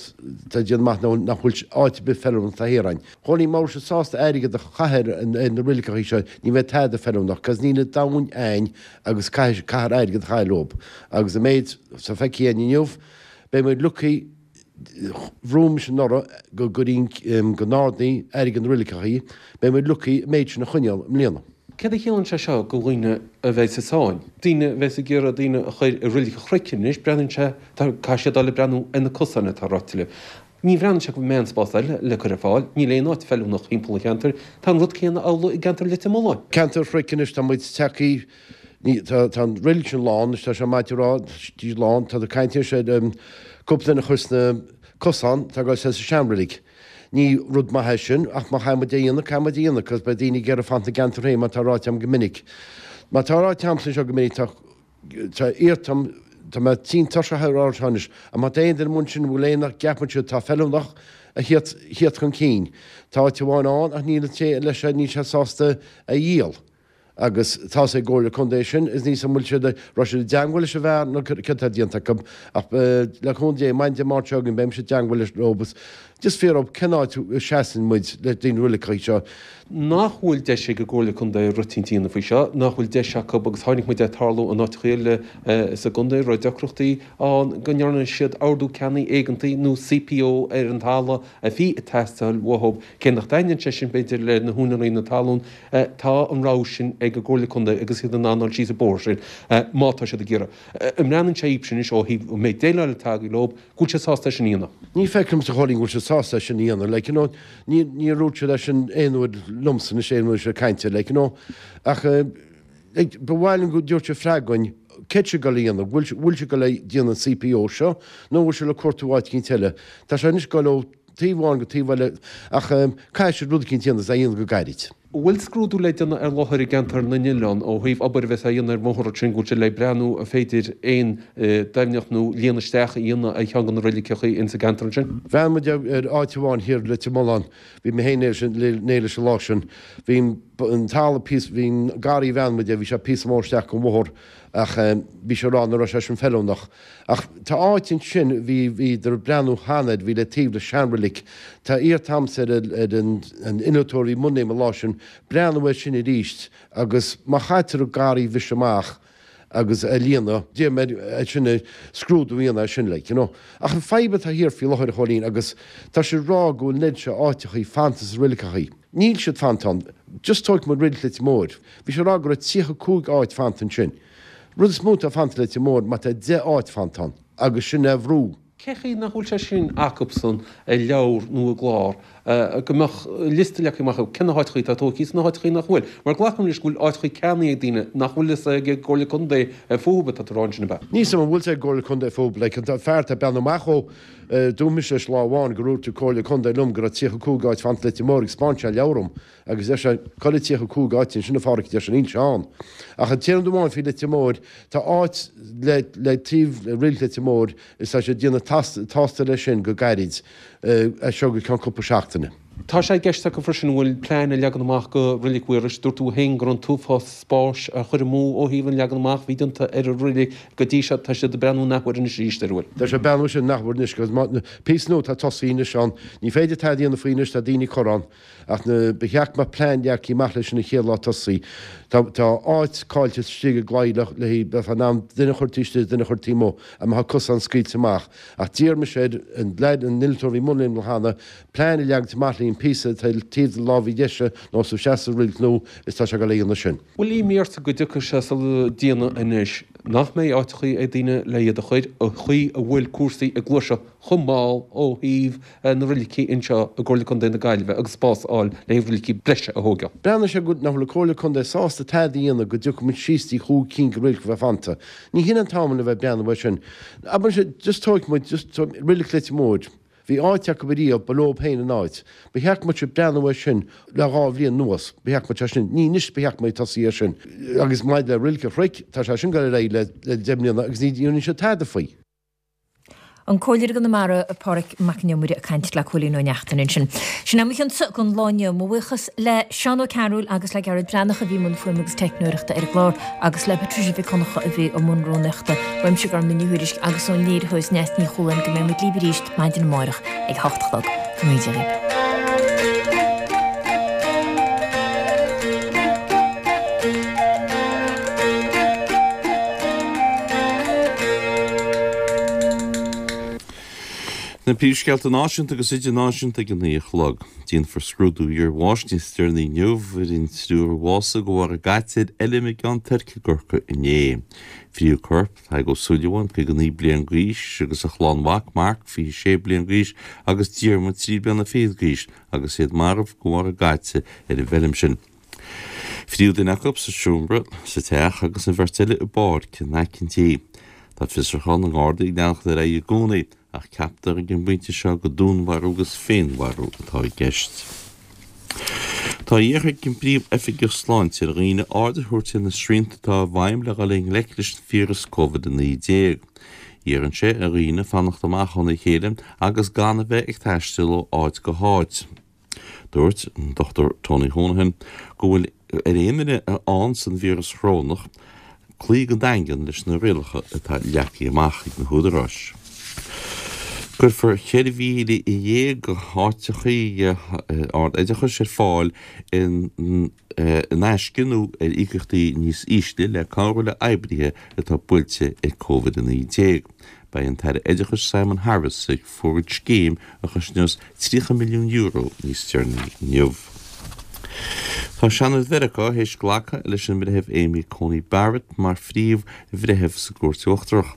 tá déanamh amach nó nach bhfuil áit ar bith feiliúnach tá thiar ann. Chóilín má bhfuil siad sásta airgead a chaitheamh ar na reiligeachaí seo ní bheidh tada feiliúnach cos níl an domhain a'ainn agus caithfidh caithfear airgead a chaitheamh leob. Agus an méid atá feicthe a'ainn inniu beidh muid lucky bhrúigh mise anuraidh go gcuirín go n-ardaí airgead na reiligeachaí beidh muid lucky an méid sin a choinneáil i mbliana. Céard a chiallaíonn sé seo do dhaoine a bheidh sa sáinn? Daoine a bheas ag iarraidh daoine a chur i Reilig an Chnoic anois, breathnaíonn sé, caithfidh siad dul ag breathnú ar na cosáin atá ráite leo. Ní bhreathnaíonn sé go bhfuil aon spás eile le cur ar fáil, níl aon áit feiliúnach thimpeall an cheantair. Tá an rud céanna amhlaidh i gceantar Leitir Mealláin. Ceantar an Chnoic anois, tá muid tagtha, ní, tá, tá an reilig sin lán anois, tá sé maith a rá, tá lán, tá caint anois ar cúpla duine a chur sna cosáin, tá ag dul sa seanreilig. Ní rud maith é sin, ach má chaithfidh muid é a dhéanamh, caithfidh muid é a dhéanamh, cos beidh daoine ag iarraidh fanacht ina gceantar féin, mar tá ráite agam go minic. Mar tá ráite agamsa anseo go minic, tá, tá iarrta agam, tá mé tinn tuirseach á rá seo anois, ach má tá aon duine amuigh ansin a bhfuil aon a gceapann siad atá feiliúnach, a theacht, theacht chun cinn. Tá áit amháin ann ach níl an té leis níl sé sásta a dhíol. Agus tá's ag an gComhairle Contae sin, is níl 's a'm an bhfuil siad, raibh siad i dteangmháil leis an bhfear nó céard atá déanta acu, ach le cúnamh Dé, maidin Dé Máirt seo chugainn beidh mise i dteangmháil leis leo agus just fiafraí cén áit a seasann muid le daoine reiligeacha seo. Nach bhfuil deis ag an gComhairle Contae rud eicínt a dhéanamh faoi seo, nach bhfuil deis acu, agus chonaic muid é ag tarlú in áiteacha eile sa gcontae, raibh deacrachtaí ann go ndearna siad ordú ceannaigh éigeantaigh nó CPO ar an talamh a bhí ag teastáil uathu, cé nach dtaitníonn sé sin b'fhéidir le na húinéirí na talún, tá an rogha sin ag an gComhairle Contae agus iad in ann dul síos an bóthar sin má tá siad ag iarraidh. An mbreathnaíonn sé dhaoibhse anois ó thaobh an méid déileáil atá agaibh leo, go bhfuil siad sásta é sin a dhéanamh? Ní feicim a Chóilín go bhfuil siad sásta é sin a dhéanamh, like you know, ní, níor dhúirt siad é sin aon uair liomsa anois aon uair ag caint air, like you know, ach like, ba mhaith liom go dtabharfadh siad freagra dhúinn, céard siad ag dul a dhéanamh, bhfuil, bhfuil siad ag dul a dhéanamh an CPO seo nó bhfuil siad le cuartú áit eicínt eile. Tá sé anois ag dul ó taobh amháin go taobh eile ach caithfidh siad rud eicínt a dhéanamh is é a dhéanamh go gairid. An bhfuil scrúdú le déanamh ar láthair i gceantar na nOileán ó thaobh obair a bheas á dhéanamh ar an mbóthar ansin go bhfuil siad le breathnú an féidir aon doimhneacht nó líonadh isteach a dhéanamh ar cheann de na reiligeacha ins an gceantar ansin? Bhreathnaigh muid ar áit amháin thiar i Leitir Mealláin, bhí mé féin inné leis an lá sin, bhí an talamh píosa, bhí an garraí a bhreathnaigh muid air, bhí sé píosa mór isteach gon bhóthar ach bhí sé ag rá nach raibh sé sin feiliúnach. Ach tá áit ansin, bhí, bhíodar ag breathnú cheana air, bhí le taobh le seanreilig. Tá iarrta a'msa ar, ar an, an innealtóir a bhí i mbun an lá sin, breathnú air sin aríst agus má chaitear an garraí a bhriseadh amach agus a líonadh, d'iarr mé air sin scrúdú a dhéanamh air sin, like, you know. Ach an fadhb atá thiar faoi láthair a Chóilín agus tá siad ag rá go bhfuil an oiread seo áiteachaí fanta sa reiligeachaí. Níl siad fanta ann. Just tógfaidh muid reilig Leitir Móir. Bhí sé ag rá go raibh tríocha cúig áit fanta ansin. Rud is mó atá fanta Leitir Móir má tá deich áit fanta ann agus sin é bhrú. Cé chaoi nach bhfuil sé sin acubsan i leabhar nó i gclár, go mbeadh liosta leagtha amach acu cé na háiteachaí atá tógtha is na háiteachaí nach bhfuil? Mar glacaim leis go bhfuil áiteachaí ceannaithe ag daoine nach bhfuil fhios ag an gComhairle Contae fúthu atá tú a rá ansin, ab ea? Níl 's a'm an bhfuil 's ag an gComhairle Contae fúthu, like an fear atá ag breathnú amach ó, dúirt mise leis lá amháin gur dhúirt an Comhairle Contae liom go raibh tríocha cúig áit fanta Leitir Móir agus 'spáin sé leabhar dhom Agus deir sé, Cá bhfuil tríocha cúig áit ansin a Pháraic, deir sé, níl sé ann. Ach an t-aon rud amháin faoi Leitir Móir, tá áit le, le taobh le Reilig Leitir Móir is tá siad ag déanamh tástáil leis sin go gairid, as seo go ceann cúpla seachtaine. Tá sé i gceist acu freisin an bhfuil plean a leagan amach go Reilig Mhaorais. Dúirt tú féin go raibh an t-uafás spáis á chur amú ó thaobh an leagan amach a bhí déanta ar an reilig go dtí seo. Tá siad ag breathnú an athuair anois arís air, an bhfuil? Tá siad ag breathnú sin an athuair anois agus má, píosa nua atá tosaithe anois ann. Ní féidir tada a dhéanamh faoi anois, tá daoine curtha ann. Ach na, ba cheart go mbeadh plean leagtha amach leis sin an chéad lá tosaí. Tá, tá áit caillte istigh i gclaí le, le, bheifeá in ann duine a chur taobh istigh is duine a chur taobh amuigh, a mbeadh cosán scaoilte amach. Ach d'iarr mise ar an leaid, an innealtóir a bhí i mbun léim cheana, plean a leagaint amach le an píosa atá taobh de láimh dheise nó sa seasamh sa reilig nua is tá sé ag dul a dhéanamh sin. Bhfuil imní ortsa go dtiocfaidh sé sula déanaí anois nach mbeidh áiteachaí ag daoine le iad a chur, an chaoi a bhfuil cúrsaí ag gluaiseacht chomh mall ó thaobh na reilicí anseo i gComhairle Contae na Gaillimhe agus spás a fháil le haghaidh reilicí breise a thógáil? Breathnaigh sé go nach bhfuil an Comhairle Contae sásta tada a dhéanamh go dtiocfaidh muid síos dtí chúig cinn de reilig a bheith fanta. Ní hin an t-am le bheith ag breathnú air sin. Abair sé, just tógfaidh muid, just reilig Leitir Móir. Bhí áit acu ariamh, ba leob féin an áit. Ba cheart go mbeadh siad ag breathnú air sin le dhá bhliain anuas. Ba cheart go mbeadh sé sin, ní anois ba cheart go mbeadh ag tosaí air sin. Agus maidir le Reilig an Chnoic, tá sé sin ag dul ar aghaidh le le deich mbliana agus ní dhéanann siad tada faoi. An Comhairleoir i gConamara, Pádraig Mac Con Iomaire ag caint le Cóilín Ó Neachtain ansin. Sin é mo chionsa don lá inniu. Mo bhuíochas le Seán Ó Cearúil agus le Gearóid Breathnach a bhí i mbun fuaime agus teicneoireachta ar an gclár agus le Patricia Mhic Dhonncha a bhí i mbun rúnaíochta. Uaimse Gormfhlaith Ní Thuairisg agus ón léiritheoir Neasa Ní Chualáin go mbeidh muid libh arís maidin amárach ag a hocht a chlog. Go ngnóthaí Dia dhaoibh. Na príomhscéalta náisiúnta agus idirnáisiúnta ag a naoi a chlog. Déanfar scrúdú iarbháis níos deireanaí inniu ar an triúr a bhásaigh de bharr a gcaite ar fheilm i gCeann Toirc i gCorcaigh inné. Frítheadh coirp Tadhg Ó Súilleabháin, caoga naoi bliain d'aois, agus a chlann mhac, Mark, fiche sé bliain d'aois, agus Diarmuid, trí bliana fichead d'aois, agus iad marbh de bharr a gcaite ar an bhfeilm sin. Frítheadh duine acu sa seomra sa teach agus an bheirt eile i bpáirc in aice an tí. Tá fiosrúchán na nGardaí ag leanacht ar aghaidh i gcónaí, ach ceaptar ag an bpointe seo gur dúnmharú agus féinmharú atá i gceist. Tá iarrtha ag an bPríomh-Oifigeach Sláinte ar dhaoine aird a thabhairt ar na srianta atá i bhfeidhm le dhul i ngleic leis an fiabhras Covid a naoi déag. Iarrann sé ar dhaoine fanacht amach óna chéile agus gan a bheith ag taisteal ó áit go háit. Dúirt an Dochtúir Tony Honohan go bhfuil ar aon duine a fhaigheanns an víreas chorónach cloí go daingean leis na rialacha atá leagtha amach ag na húdaráis. Cuirfear ceithre mhíle dhéag áiteachaí ard-oideachais ar fáil in aisce nó ar íocaíochtaí níos ísle le cabhrú le oibrithe atá buailte ag Covid a naoi déag. Beidh an tAire Oideachais Simon Harris ag fógairt scéim a chosnós tríocha milliún euro níos deireanaí inniu. Tá Seanad Mheiriceá théis glacadh leis an mBreitheamh Amy Coney Barrett mar phríomh-bhreitheamh sa gCúirt Uachtarach.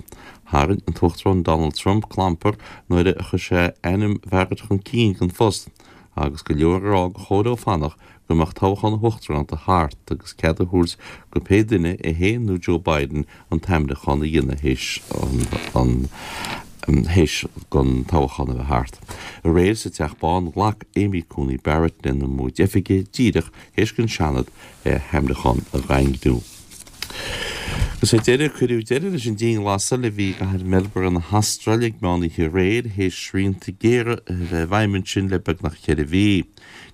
Tharraing an tUachtarán Donald Trump clampar nuair a chuir sé ainm Bharrett chun cinn don phost agus go leor ag rá gur chóir dó fanacht go mbeadh toghchán na huachtaránachta thart agus cead a thabhairt go pé duine, é féin nó Joe Biden, an t-ainmniúchán a dhéanamh théis an théis don toghchán a bheith thart. Aréir sa Teach Bán ghlac Amy Coney Barrett lena móid oifige díreach théis don Seanad a hainmniúchán a dhaingniú. Agus ar deireadh, cuireadh deireadh leis an dianghlasáil a bhí i gcathair Melbourne na hAstráile ag meán oíche aréir théis srianta géara a bheith i bhfeidhm ansin le beagnach ceithre mhí.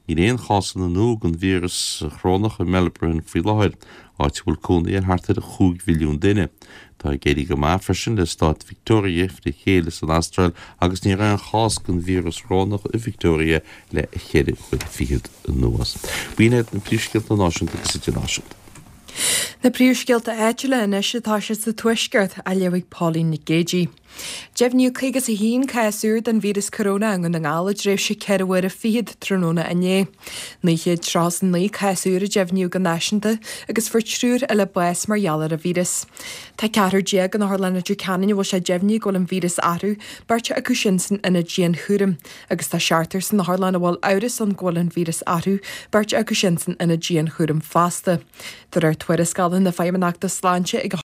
Níl aon chásanna nua den víreas chorónach i Melbourne faoi láthair, áit a bhfuil cónaí ar thart ar chúig mhilliún duine. Tá ag éirí go maith freisin le stát Victoria fré chéile san Astráil agus ní raibh aon chás den víreas chorónach i Victoria le ceithre huaire fichead anuas. B'in iad na príomhscéalta náisiúnta agus idirnáisiúnta. Na príomhscéalta áitiúla anois atá siad sa Tuaisceart, á léamh ag Pauline Nic Géidigh. Deimhníodh caoga is a haon cás úr den víreas coróna i nDún na nGall i dtréimhse ceithre huaire fichead tráthnóna inné. Naoi chéad tríocha is a naoi cás úr a deimhníodh go náisiúnta agus fuair triúr eile bás mar gheall ar an víreas. Tá ceathrar déag in Otharlann Leitir Ceanainn a bhfuil sé deimhnithe go bhfuil an víreas orthu, beirt acu sin san ionad dianchúraim, agus tá seachtar san otharlann a bhfuil amhras ann go bhfuil an víreas orthu, beirt acu sin san ionad dianchúraim fosta. De réir tuarascála na Feidhmeannachta Sláinte ag a